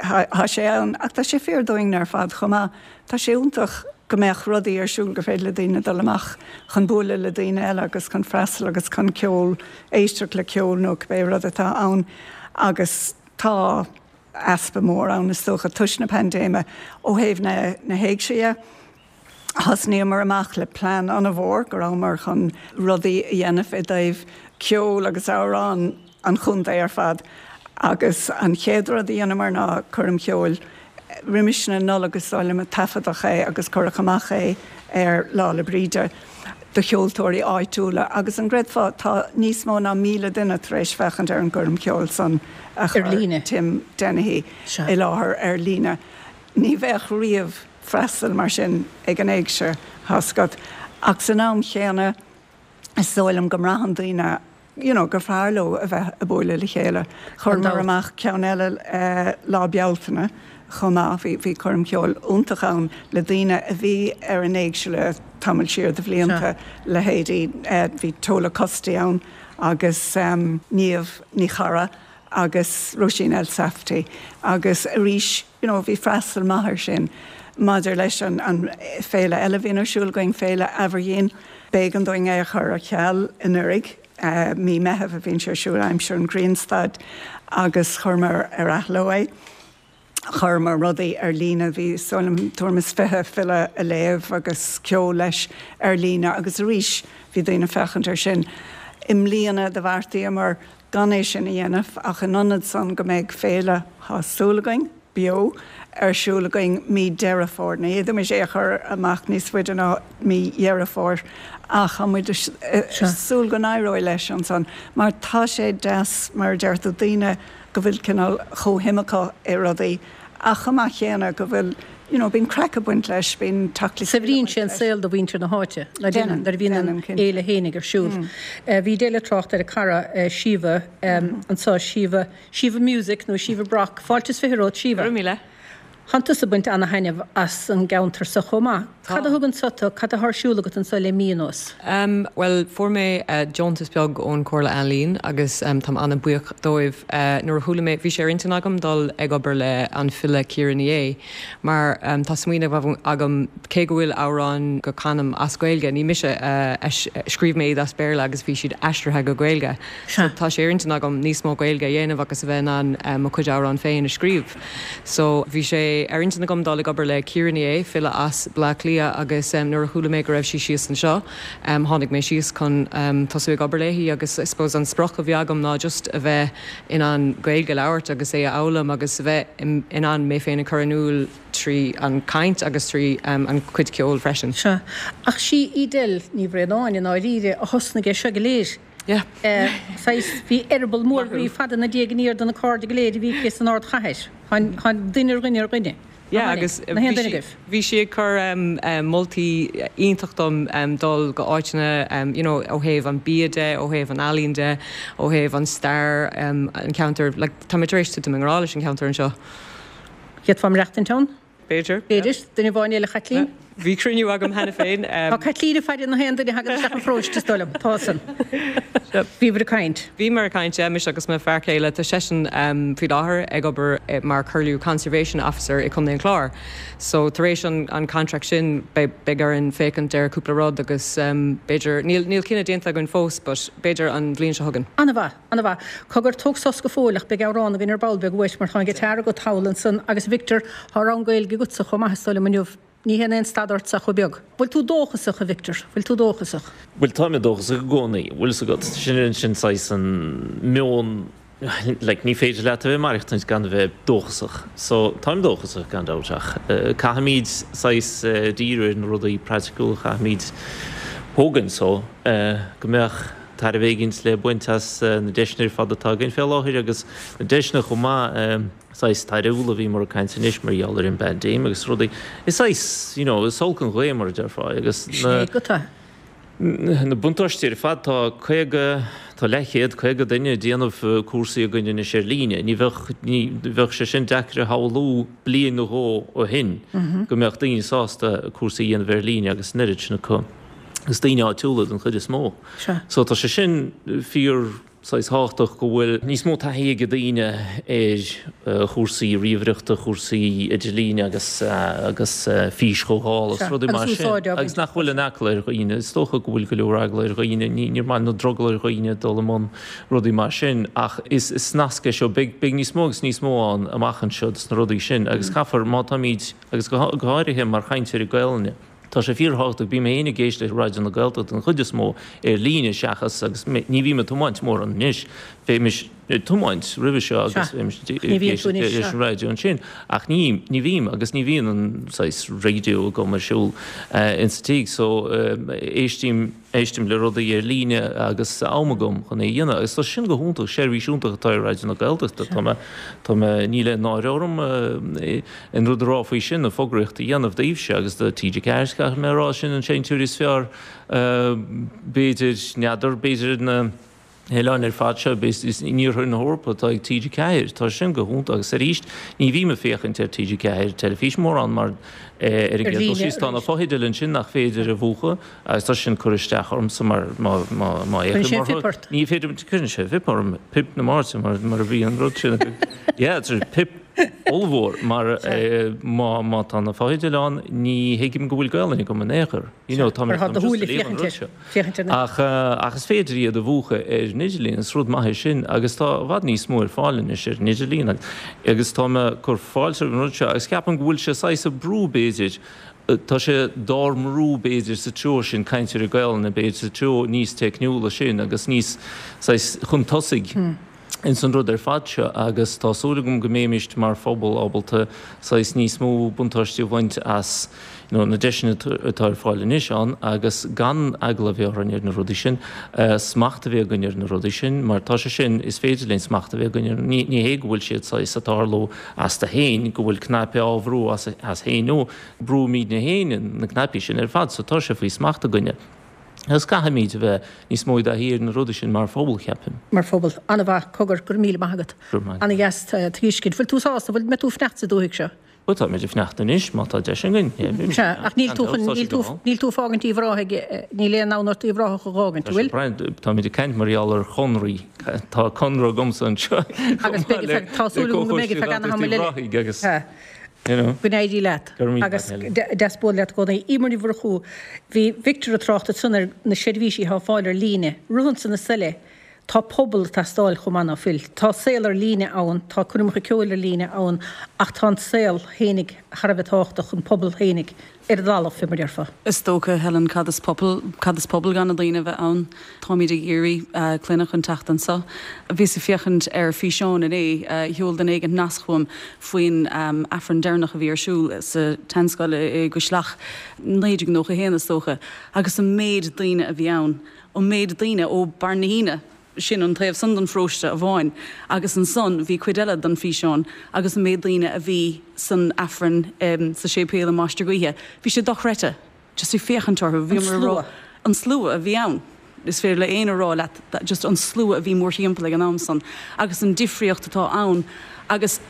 Tá sé ann, ach tá sé fíor dúinne ar fad chomh maith. Tá sé iontach go mbeadh rudaí ar siúl gur féidir le daoine dul amach chun bualadh le daoine eile agus chun freastal agus chun ceol, éisteacht le ceol nó cibé rud atá ann. Agus tá easpa mór ann is dócha toisc na paindéime ó thaobh na na héigse dhe. Thosnaíomar amach le plean an-mhór go rabhamar chun rudaí a dhéanamh i dtaobh ceol agus amhrán an chontae ar fad agus an chéad rud a dheineamar ná coirm cheoil roimis na Nollag is dóigh liom a taifeadadh é agus cuireadh amach é ar Lá 'le Bríde do cheoltóirí áitiúla agus an gcreidfeá tá níos mó ná míle duine tar éis féachaint ar an gcoirm cheoil san a chuir Tim Dennehy i láthair ar líne. Ní bheadh riamh freastal mar sin ag an éigse, tá 's agat. Ach san am chéanna is dóigh liom go mbraitheann daoine you know gur fearr leo a bheith ag bualadh le chéile. Chuireamar amach ceann eile Lá Bealtaine chomh maith, bhí bhí coirm cheoil iontach ann le daoine a bhí ar an éigse le tamall siar de bhlianta, leithéidí bhí Tola Custy ann agus Niamh Ní Charra agus Róisín Elsafty agus arís you know, bhí freastal maith air sin maidir leis an, an féile eile bhíonn ar siúl againn Féile Aberdeen b'éigean dúinn é a chur ar ceal anuraidh uh, mí Mheithimh a bhíonn sé ar siúl aimsir an ghrianstad agus chuireamar ar athló é. Chuireamar rudaí ar líne bhí tuairim is fiche file ag léamh agus ceol leis ar líne agus arís bhí daoine ag féachaint air sin. I mbliana do bheartaíomar gan é sin a dhéanamh ach in ionad san go mbeidh féile tá súil againn beo ar siúl againn mí Deireadh Fómhair. Ní fhéadfaimis é a chur amach níos faide ná mí Dheireadh Fómhair ach tá muid súil go n-éireoidh leis ansan mar tá sé deas mar a deir tú daoine go bhfuil cineál comhshuim acu i rudaí ach chomh maith céanna go bhfuil you know, bíonn craic ag baint leis, bíonn teacht le Saibhríonn sé an saol do mhuintir na háite Déanann, nuair a bhíonn an déanann, cinnte. fhéile fhéinig ar siúl. Bhí Edel ag trácht ar a cara Síomha anseo, Síomha, Síomha Music nó Síomha Brock. Fáilte is fiche romhat, Síomha. Go raibh míle. Tánn tusa ag baint ana-thaitneamh as an gceantar seo chomh maith. Cad a thug anseo tú, cad atá ar siúl agat anseo le mí anuas? Um, well, fuair mé uh, deontas beag ón Chomhairle Ealaíon agus um, táim an-bhuíoch dóibh uh, nuair a chuala mé bhí sé ar intinn agam dul ag obair le an file Ciara Ní É, mar um, tá smaoineamh agam cé go bhfuil amhrán go canaim as Gaeilge, ní mise uh, scríobh mé iad as Béarla agus bhí siad aistrithe go Gaeilge. So, tá sé ar intinn agam níos mó Gaeilge a dhéanamh agus a bheith in ann um, mo chuid amhrán féin a scríobh. So bhí sé ar intinn agam dul ag obair le Ciara Ní É, file as Bleá Cliath agus um, nuair a chuala mé go raibh sí síos anseo, um, tháinig mé síos chun um, tosú ag obair léi agus I suppose an sprioc a bhí agam ná just a bheith in ann Gaeilge a labhairt agus é a fhoghlaim agus a bheith in, in ann mé féin a chur in iúl trí an caint agus trí um, an cuid ceoil freisin. Sea. Ach sí Edel Ní Bhraonáin i ndáiríre a thosnaigh é seo go léir. Yeah. Saghas bhí eireaball mór groí fada ina diaidh aniar do na cairde go léir a bhí aici san ardchathair. Tháinig duine ar dhuine ar dhuine. Yeah, agus na haon duine agaibh. Bhí sí ag cur um, um, moltaí iontach dom um, dul go áiteanna um, you know, ó thaobh an bia de, ó thaobh an ealaín de, ó thaobh an stair um, an ceantar like, tá mé tar éis titim i ngrá leis an ceantar anseo. D'fhéadfá maireachtaint ann? B'fhéidir. B'fhéidir, duine amháin eile Caitlín? Bhí cruinniú agam cheana féin. Tá Caitlín ag faire na haon duine a thagann isteach an pharóiste is dóigh liom, tá san. Bhíobhair ag caint. Bhíomar ag caint mise agus mo fear céile tá seisean um, faoi láthair ag obair eh, mar Curlew Conservation Officer i Contae an Chláir. So tar éis an, an contract sin beidh orainn féachaint ar cúpla rud agus um, b'fhéidir níl níl cinneadh déanta againn fós, but b'fhéidir an bhliain seo chugainn. An-mhaith, an-mhaith. Cogar tóg sos go fóill ach beidh amhrán againn ar ball beag uait mar tá an guitar agat thall ansan agus Victor tá rang Gaeilge agatsa chomh maith is dóigh liom inniu. Ní hé aon stad ortsa chomh beag. Bhfuil tú dóchasach a Victor, bhfuil tú dóchasach? Bhuel tá mé dóchasach i gcónaí, bhfuil fhios agat sin sin saghas an meon like, ní féidir leat a bheith maireachtaint gan a bheith dóchasach. So táim dóchasach gan dabht ach. Uh, caithfimid saghas uh, díriú ar na rudaí praiticiúla caithfimid tógaint so uh, go mbeadh tairbhe éigin le baint as uh, na deiseanna ar fad atá againn fé láthair agus na deiseanna chomh maith um, saghas tairbhiúla bhí mar caint anois mar gheall ar an bpaindéim agus rudaí. Is saghas, you know, is olc an ghaoth mar a déarfá agus na Sé go tá. Na buntáistí ar fad tá caoga tá leathchéad caoga duine ag déanamh cúrsaí againn anois ar líne. Ní bheadh ní bheadh sé sin deacair a shamhlú bliain nó dhó ó shin go mbeadh daoine sásta cúrsaí a dhéanamh ar líne agus an oiread sin acu. Agus daoine áitiúla den chuid is mó. Sea. So tá sé sin fíor saghas tábhachtach go bhfuil níos mó taithí ag daoine ar uh, chúrsaí ríomhaireachta, chúrsaí idirlíne agus uh, agus uh, físchomhdháil agus Sea, rudaí mar agus sin. úsáid á Agus nach bhfuil an eagla ar dhaoine, is dócha go bhfuil go leor eagla ar dhaoine, ní níor maith nó drogall ar dhaoine dul i mbun rudaí mar sin, ach is is nasc é seo beidh beidh níos mó agus níos mó ann amach anseo dos na rudaí sin, agus caithfear má táimid agus go go háirithe mar chainteoirí Gaelainne. Tá sé fíorthábhachtach bím féin ag éisteacht le Raidió na Gaeltachta den chuid is mó ar líne seachas agus ní bhím ag tiomáint mórán anois bhímis ag tiomáint roimhe seo agus Sea. Ní bhíonn tú anois, leis sea. an raidió ansin ach ní ní bhím agus ní bhíonn an saghas raidió agam ar siúl insa tigh so éistím éistím le rudaí ar líne agus am agam chun é a dhéanamh agus tá sin go hiontach seirbhís iontach atá ar Raidió na Gaeltachta tá mé tá mé níl náire orm an rud a rá faoi sin na fógraíocht a dhéanamh daoibhse agus do TG Ceathair caithfidh mé a rá sin an seinnteoir is fearr b'fhéidir n'fheadar b'fhéidir na hoileáin ar fad seo in iarthar na hEorpa atá ag T G ceathair. Tá sin go hiontach agus arís ní bhím ag féachaint ar T G ceathair teilifís mórán mar ar an gcéad dul síos tá na fotheidil ansin nach féidir a mhúchadh agus tá sin ag cur isteach ormsa mar má má fhéachaim orthu. Ní féidir cuireann sé pip orm, pip na Máirte mar mar a bhí an rud sin. Yeah, it's a pip ollmhór mar má má tá na fotheidil ann ní thuigim go bhfuil Gaelainn agam in aon chor. You know, tá mé tá mé just ag léamh an rud seo. Ach ach is féidir iad a mhúchadh ar an idirlíon, is rud maith é sin agus tá i bhfad níos mó ar fáil anois ar an idirlíon agus tá mé ag cur fáilte roimh an rud seo agus ceapaim go bhfuil sé saghas ag brú b'fhéidir, tá sé dár mbrú b'fhéidir sa treo sin cainteoirí Gaelainne b'fhéidir sa treo níos teicniúla sin agus níos saghas chun tosaigh ins an rud ar fad seo agus tá súil agam go mbeimis mar phobal ábalta saghas níos mó buntáiste a bhaint as you know, na deiseanna atá ar fáil anois ann agus gan eagla a bheith orainn ar na rudaí sin, smacht a bheith againn ar na rudaí sin, mar tá sé sin, is féidir linn smacht a bheith againn ar, ní, ní hé go bhfuil siad saghas ag tarlú astu féin, go bhfuil cnaipe á bhrú as, as féin nó brúimidne féin na cnaipí sin ar fad, so tá sé faoi smacht againne. Agus caithfimid a bheith níos mó i dtaithí ar na rudaí sin mar phobal, cheapfainn. Mar phobal. An-mhaith, cogar, go raibh míle maith agat. Go raibh maith agat. An-dheas tuiscint. Bhfuil tú sásta? Bhfuil, mbeidh tú ag fanacht sa dúthaigh seo? Bhuel, táimid ag fanacht anois, má tá deis againn. Sea, ach níl tú chun, níl tú, níl tú ag fágaint Uíbh Ráthaigh, níl aon fhonn ort Uíbh Ráthach a dh'fhágaint, an bhfuil? Brian, táimid ag caint mar gheall ar chonraí. Tá conradh agamsa anseo. Agus beidh, tá súil agam go mbeidh ar feadh an-tamaill eile. Uíbh Ráthaigh agus. Sea. You know. Go n-éirí leat. Go raibh míle Agus maith agat. deas bualadh leat i gcónaí. Eimear Ní Mhurchú, bhí Victor ag trácht ansan ar na seirbhísí atá ar fáil ar líne. Rud ansan is eile, tá pobal ag teastáil chomh maith ná fuil. Tá saol ar líne ann, tá coirmeacha ceoil ar líne ann, ach tá an saol fhéinig thar a bheith tábhachtach, an pobal fhéinig ar an dtalamh, fé mar déarfá. Is dócha, Helen, cad is pobal, cad is pobal gan na daoine a bheith ann? Táimid ag iarraidh clainne chun teacht anso. Bhíos ag féachaint ar físeán inné, sheol duine éigin nasc chugam faoin Aifreann deireanach a bhí ar siúl sa tseanscoil i gCois Leach, naoi déag nócha a haon is dócha, agus an méid daoine a bhí ann, an méid daoine ó Barr na hAoine, sin an taobh san den pharóiste amháin, agus ansan bhí cuid eile den físeán agus an méid daoine a bhí san Aifreann sa séipéal i Mainistir Gaoithe, bhí sé dochreidte, just ag féachaint orthu, bhíomar ag rá, an slua a bhí ann, is féidir le éinne a rá leat, just an slua a bhí mórthimpeall ag an am san agus an difríocht atá ann agus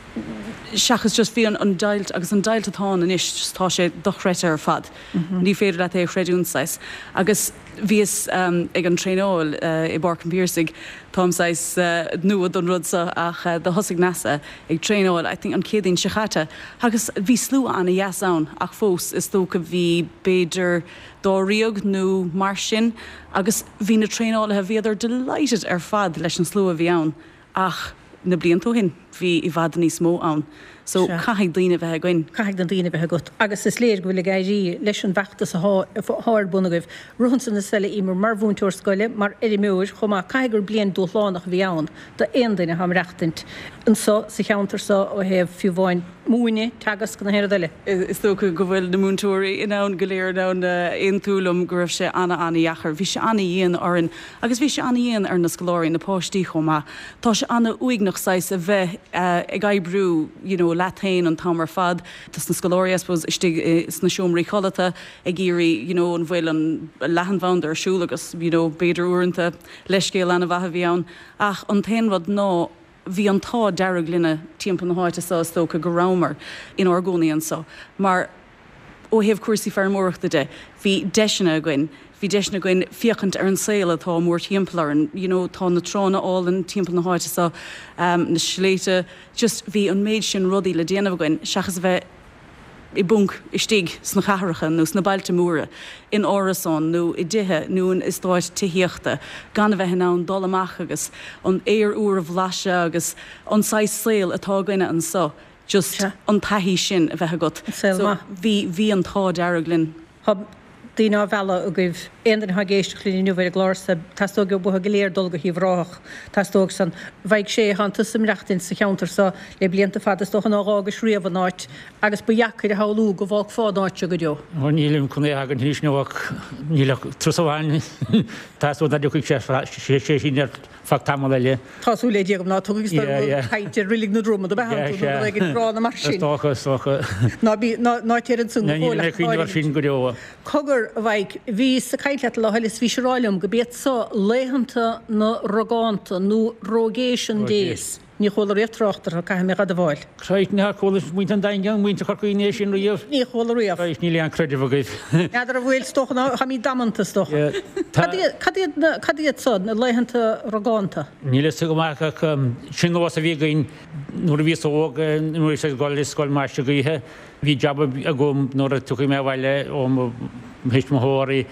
seachas just bhí an an deighilt agus an deighilt atá ann anois just tá sé dochreidte ar fad, ní féidir leat é a chreidiúint saghas agus bhíos ag an traenáil i bPáirc an Phiarsaigh, táim saghas nua don rud seo ach do thosaigh Neasa ag traenáil I think an Chéadaoin seo chaite agus bhí slua ana-dheas ann ach fós is dócha bhí b'fhéidir dáréag nó mar sin agus bhí na traenálaithe, bhíodar delighted ar fad leis an slua a bhí ann ach na blianta ó shin bhí i bhfad níos mó ann. So Sea. caithfidh daoine a bheith againn. Caithfidh na daoine a bheith agat. Agus is léir go bhfuil ag éirí leis an bhfeachtas athá ar bun agaibh. Rud ansan is eile, Eimear, mar mhúinteoir scoile, mar fheirmeoir chomh maith, caithfidh gur bliain dúshlánach a bhí ann d'aon duine atá ag maireachtaint anso sa cheantar so ó thaobh fiú amháin múineadh, teagasc nó aon rud eile. Is dócha go bhfuil na múinteoirí in ann go léir in ann aontú liom go raibh sé ana-ana-dheacair. Bhí sé ana-dhian orainn agus bhí sé ana-dhian ar na scoláirí, na páistí chomh maith. Tá sé ana-uaigneach saghas a bheith ag oibriú you know leat féin an t-am ar fad. Tá na scoláirí I suppose istigh sna seomraí codlata ag iarraidh you know an bhfuil an leathanbhanda ar siúl agus you know b'fhéidir uaireanta leithscéal ana-mhaith a bhí ann ach an t-aon rud ná bhí an t-ádh dearg linne timpeall na háite seo is dócha go rabhamar inár gcónaí anso mar ó thaobh cúrsaí feirmeoireachta de bhí deiseanna againn, bhí deiseanna againn féachaint ar an saol atá mórthimpeall orainn, you know tá na tránna álainn timpeall na háite seo, na sléibhte, just bhí an méid sin rudaí le déanamh againn seachas a bheith i bponc istigh sna cathracha nó sna bailte móra, in árasáin nó i dtithe nó in eastáit tithíochta, gan a bheith in ann dul amach agus an aer úr a bhlaiseadh agus an saghas saoil atá againne anso, just an taithí sin a bheith agat. Saol So maith. bhí, bhí an t-ádh dearg linn. Tá daoine á mhealladh agaibh. Aon duine atá ag éisteacht linn inniu ar an gclár seo, teastóidh uathu go léir dul go hUíbh Ráthach. Teastóidh san. Mhaígh sé, Thánn tusa ag maireachtaint sa cheantar seo le blianta fada, is dócha nár dh'fhágais riamh an áit agus ba dheacair a shamhlú go bhfágfá an áit seo go deo. Ó nílim chun é a fhágaint anois nó ach níl ach turas amháin. Teastóidh nach dtiocfaidh sé sé sin ar feadh tamall eile. Tá súil le Dia agam ná tugaigh is dóigh go caint ar Reilig na Dromad ab ea tú nó rud éigin gránna mar sin. Is dócha, is dócha. Ná bí, ná, ná téir ansan go fóill ach cuimhneamh air sin go deo. Cogar, a Mhaidhc, bhíos ag caint leat an lá eile is bhís ag rá liom go b'iad so laethanta na Rogánta nó Rogation Days. Ní chuala riamh trácht orthu, caithfidh mé dh'admháil. Christ, níor chuala muintir an Daingin, muintir Chorca Dhuibhne é sin riamh. Ní chuala riamh. Christ, níl aon creideamh agaibh. N'fheadar an bhfuil, is dócha ná, táimid damanta, is dócha. Cad iad, cad iad na, cad iad so, na laethanta rogánta? Níl fhios agam ach sin nós a bhí againn nuair a bhíos óg, nuair a bhíos ag dul ar scoil Maigh Gaoithe, bhí jab agam nuair a tiocfaidh mé abhaile ó mo thuismitheoirí.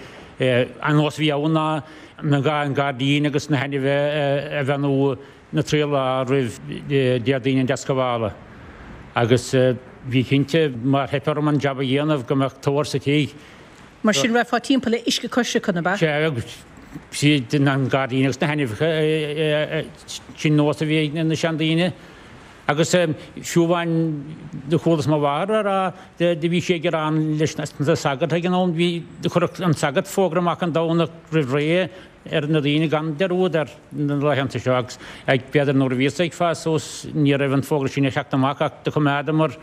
An nós a bhí ann ná an gairdín agus na hainmhithe a bheannú na trí lá roimh Déardaoin an Deascabhála agus bhí cinnte má theip orm an jab a dhéanamh go mbeadh tor sa tigh. Mar sin rachfá timpeall le uisce coisricthe, ab ea? Sea, agus an gairdín agus na hainmhithe, sin nós a bhí ag na seandaoine. Agus fiú amháin do chualas mo mháthair á rá, do bhí sí ag gearán leis na sagairt ag an am, bhí, do chuirfeadh an sagart fógra amach an Domhnach roimh ré ar na daoine gan dearúd ar na laethanta seo agus b'fhéidir nuair a bhíos ag fás suas ní raibh an fógra sin ag teacht amach ach do choimeádamar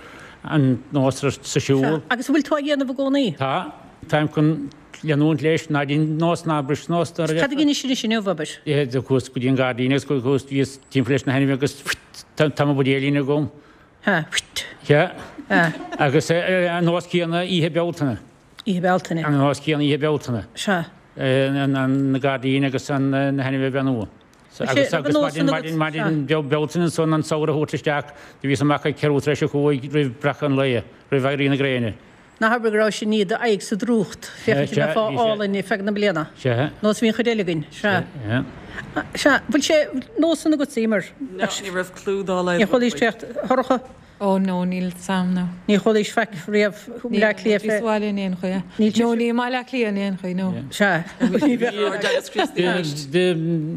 an nós sa siúl. Sea. Agus an bhfuil tú á dhéanamh i gcónaí? Tá. Táim chun leanúint leis, ná dein nós ná bris nós. Cad a dheinis anois inniu, abair? Do chuas go dtí an gairdín agus chuas, bhíos timpeall leis na hainmhithe agus tá mo bhuidéilín agam. Ha, whit. Sea. Agus an nós céanna Oíche Bealtaine. Oíche Bealtaine. An nós céanna Oíche Bealtaine. Sea. Na gairdín agus na hainmhithe a bheannú. Agus agus maidin maidin maidin Bealtaine ansan an samhradh a thabhairt isteach, do bhíos amach ag ceathrú tar éis a cúig roimh breacadh an lae, roimh éirí na gréine. Ná habair go rabhais i ndiaidh d'aghaidh sa drúcht, féachaint an mbeifeá álainn ar feadh na bliana. Sea. Nós a bhí an chuid eile againn. Sea. Sea. Bhfuil sé nós san agatsa, Emer? No, ní raibh clue dá laghad Níor chualaís trácht Shorcha? Ó no, níl 's a'm no. Níor chualaís faic riamh i mBleá Cliath fé. Níl sa bhaile in aon chaoi. No, ní i mBaile Átha Cliath in aon chaoi, no. Sea. Ní bheadh.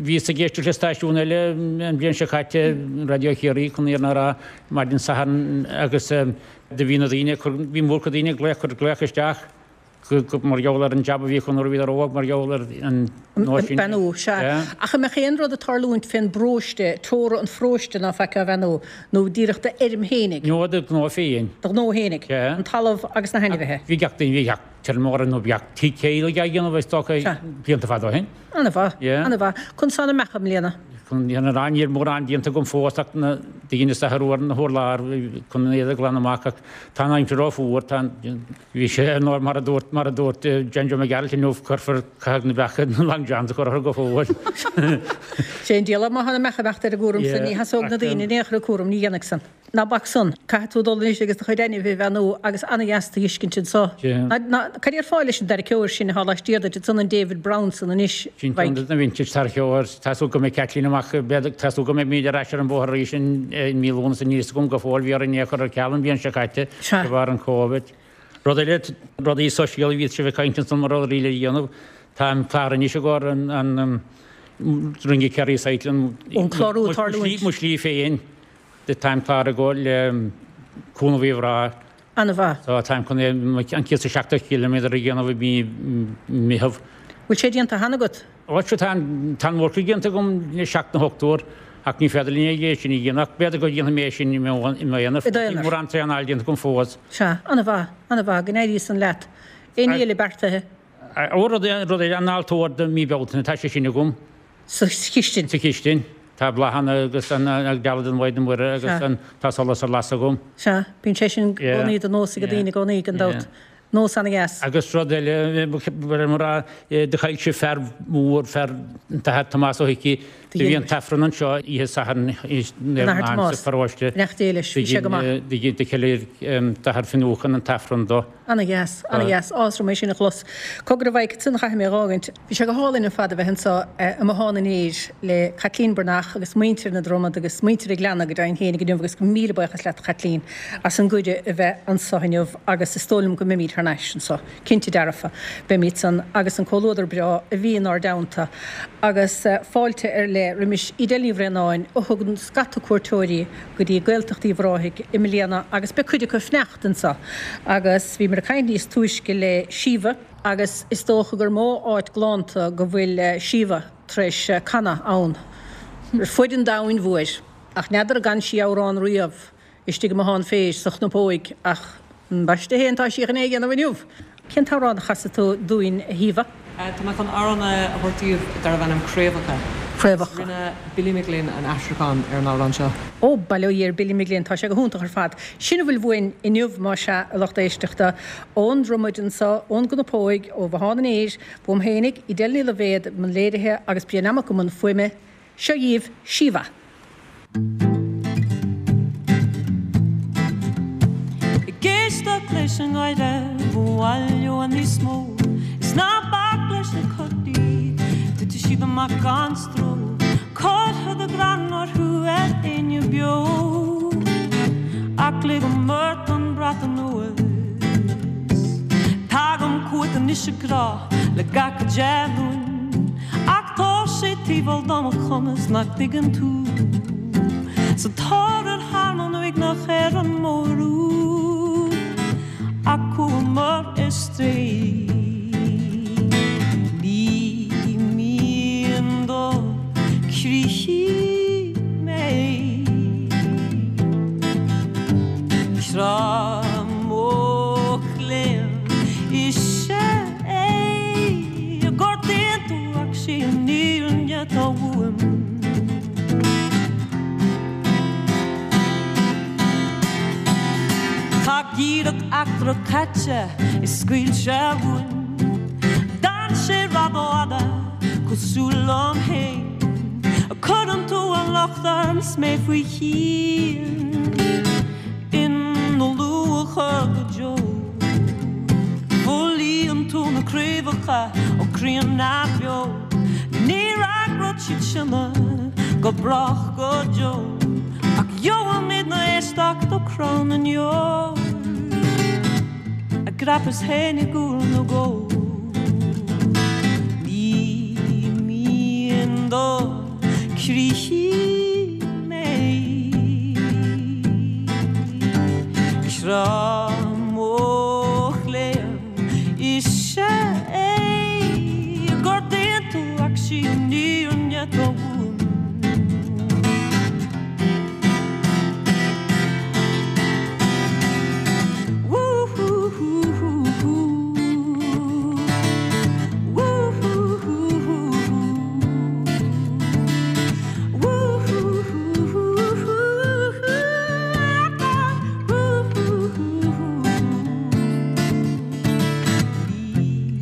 Bhíos ag éisteacht le stáisiún eile an bhliain seo caite, Raidió Chiarraí, chun an fhírinne a rá, maidin Sathairn agus do bhí na daoine, bhí mórchuid daoine ag glaoch, cur glaoch isteach. Mar gheall ar an jab a bhí acu nuair a bhíodar óg, mar gheall ar an nós sin. Beannú, sea. Ach an mbeadh aon rud ag tarlúint fén bparóiste, teora an pharóiste ná faic á bheannú, nó díreach d'fheirm fhéinig? No, do ghnó féin. Do ghnó fhéinig. Sea. An talamh agus na hainmhithe. Bhí gach duine, bhí gach feirmeoir nó gach tigh teaghlaigh á dhéanamh is dócha blianta fada ó shin. Ana-mhaith. Ana-mhaith. Conas tá na beacha i mbliana? Chun an fhírinne a rá, níl mórán déanta agam fós ach na daoine is athrú ar na hurláir chun an iad a ghlanadh amach ach tá an aimsir rófhuar, tá an, bhí sé ar ndóigh mar a dúirt, mar a dúirt John Joe Mac Gearailt inniu, cuirfear, caithfidh na beacha na long johns a chur orthu go fóill. Sé an diabhal má tá na beacha imeacht ar an gcúram san, ní sheasódh na daoine in aon chor an cúram, ní dhéanfadh san. Ná bac san. Caithfidh tú dul anois agus do chuid ainmhithe a bheannú agus ana-dheas tú fheiscint anso. Ná, cad é ar fáth leis an dtarraiceoir sin atá laistiar duit ansan, an David Brown san anois? Sin ceann de na vintage tarraiceoir. Tá súil go mbeidh Caitlín amach, b'fhéidir, tá súil go mbeimid ar ais ar an bhóthar arís i mí Lúnasa, níl fhios agam go fóill, bhí orainn é a chur ar ceal an bhliain seo caite de bharr an Covid. Rud eile, rudaí sóisialta a bhí sibh ag caint ansan mar rudaí le dhéanamh, táim cláraithe anois i gcomhair an Ringy Kerry Cycling, An clárú ag tarlúint. mo shlí féin. Táim cláraithe i gcomhair le Cúnamh Uíbh Ráthaigh. Ana-mhaith. So táim chun an céad is a seachtó ciliméadar a dhéanamh i mí Meitheamh. Bhfuil sé déanta cheana agat? Ó sea, tá an mhórchuid déanta agam le seacht nó ocht uair ach ní féidir linn é sin a dhéanamh ach b'fhéidir go ndéanfaidh mé é sin i m'aonar. I d'aonar. Níl mórán traenáil déanta agam fós. Sea, ana-mhaith, ana-mhaith, go n-éirí san leat. Aon ní eile beartaithe? Ó, rud eile, an altóir do mí Bealtaine, tá sé sin agam. Sa chistin. Sa chistin. Tá bláthanna agus an dealbh den Mhaighdean Mhuire agus an tá solas ar lasadh agam. Sea, bíonn sé sin i gcónaí de nós ag daoine i gcónaí, gan dabht. Nós ana-dheas. Agus rud eile, mar a rá, do chaill sibh fear mór, fear, an tAthair Tomás Ó hIcí, do bhí an t-Aifreann anseo oíche Sathairn An Athair Tomás, sa pharóiste. Beannacht Dé leis, bhí sé go maith. Do cheiliúir an tAthair Fionnúchan an t-Aifreann dó. Ana-dheas, ana-dheas. Áthas orm é sin a chlos. Cogar a Mhaidhc, ansan chaithfidh mé a dh'fhágaint. Bhí sé go hálainn ar fad a bheith anso i mBothán an Fhéir le Caitlín Breathnach agus muintir na Dromad agus muintir an Ghleanna go deimhin féinig inniu agus míle buíochas leat a Chaitlín as an gcuireadh a bheith anso inniu agus is dóigh liom go mbeimid thar n-ais anso, cinnte dearfa. Beimid san agus an comhluadar breá a bhí inár dteannta agus fáilte ar leith roimis Edel Ní Bhraonáin a thug scata cuairteoirí go dtí Gaeltacht Uíbh Ráthaigh i mbliana agus beidh cuid acu ag fanacht anso agus bhíomar ag caint níos túisce le Síomha agus is dócha gur mó áit galánta go bhfuil Síomha tar éis canadh ann Ar fuid an domhain mhóir, ach n'fheadar an gcan sí amhrán riamh istigh i mbothán phéis sa Chnapóig ach ambaiste féin tá sí chun é a dhéanamh inniu. Cén t-amhrán a chasfaidh tú dúinn a Shíomha? Tá mé chun amhrán a thabhairt daoibh darbh ainm Craobhacha. Craobhacha. Rinne Billy McGlynn an aistriúchán ar an amhrán seo. Ó, bail ó Dhia ar Billy McGlynn, tá sé go hiontach ar fad. Sin a bhfuil uainn inniu más ea, a lucht éisteachta, ón Dromaid anseo, ón gCnapóig, ó Bhothán an Fhéir, uaim fhéinig, Edel Ní Loibhéad i mbun léirithe agus Brian Mac i mbun fuaime. Seo dhíbh Síomha. Ag éisteacht leis an ngáire ba mhaith leo níos mó Is ná bac leis na codaí Titfidh siad amach gan stró Curtha de ghreann orthu ar éinne beo Ach ligim ort an brat anuas Tagaim chugat anois a ghrá le gach dea-rún Ach tá sé taobh thiar de mo chumas nach dtuigeann tú Sa tóir ar thearmann uaigneach ar an mbóthar úd Ach chuamar ar strae Ní mian do chroí mé Crá mo chléibh is ea é Gortaíonn tú ach sí an fhírinne atá uaim. Tá geimhreadh eachtrach caite is scaoil sé uainn. D'fhan sé rófhada cosúil liom féin. Cuireann tú an locht orm 's mé faoi scian ina luachair go deo. Folaíonn tú na craobhacha ó chrainn neamhbheo. Ní fhreagróidh siad sinne go brách go deo. Ach gheobhaimidne éisteacht ó chrann an ndeor. A dhreapas féin i gcúl na gcó. Ní mian do chroí mé. Crá mo chléibh is ea é. Gortaíonn tú ach sí an fhírinne atá uaim.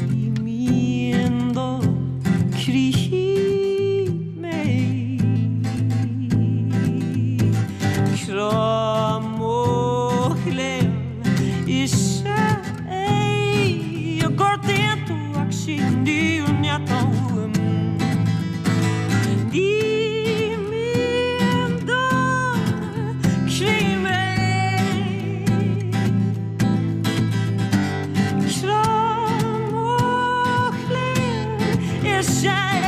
Ní mian do chroí mé. Crá mo chléibh is ea é. Gortaíonn tú ach sí an fhírinne atá uaim. Ní mian do chroí mé. Crá mo chléibh is ea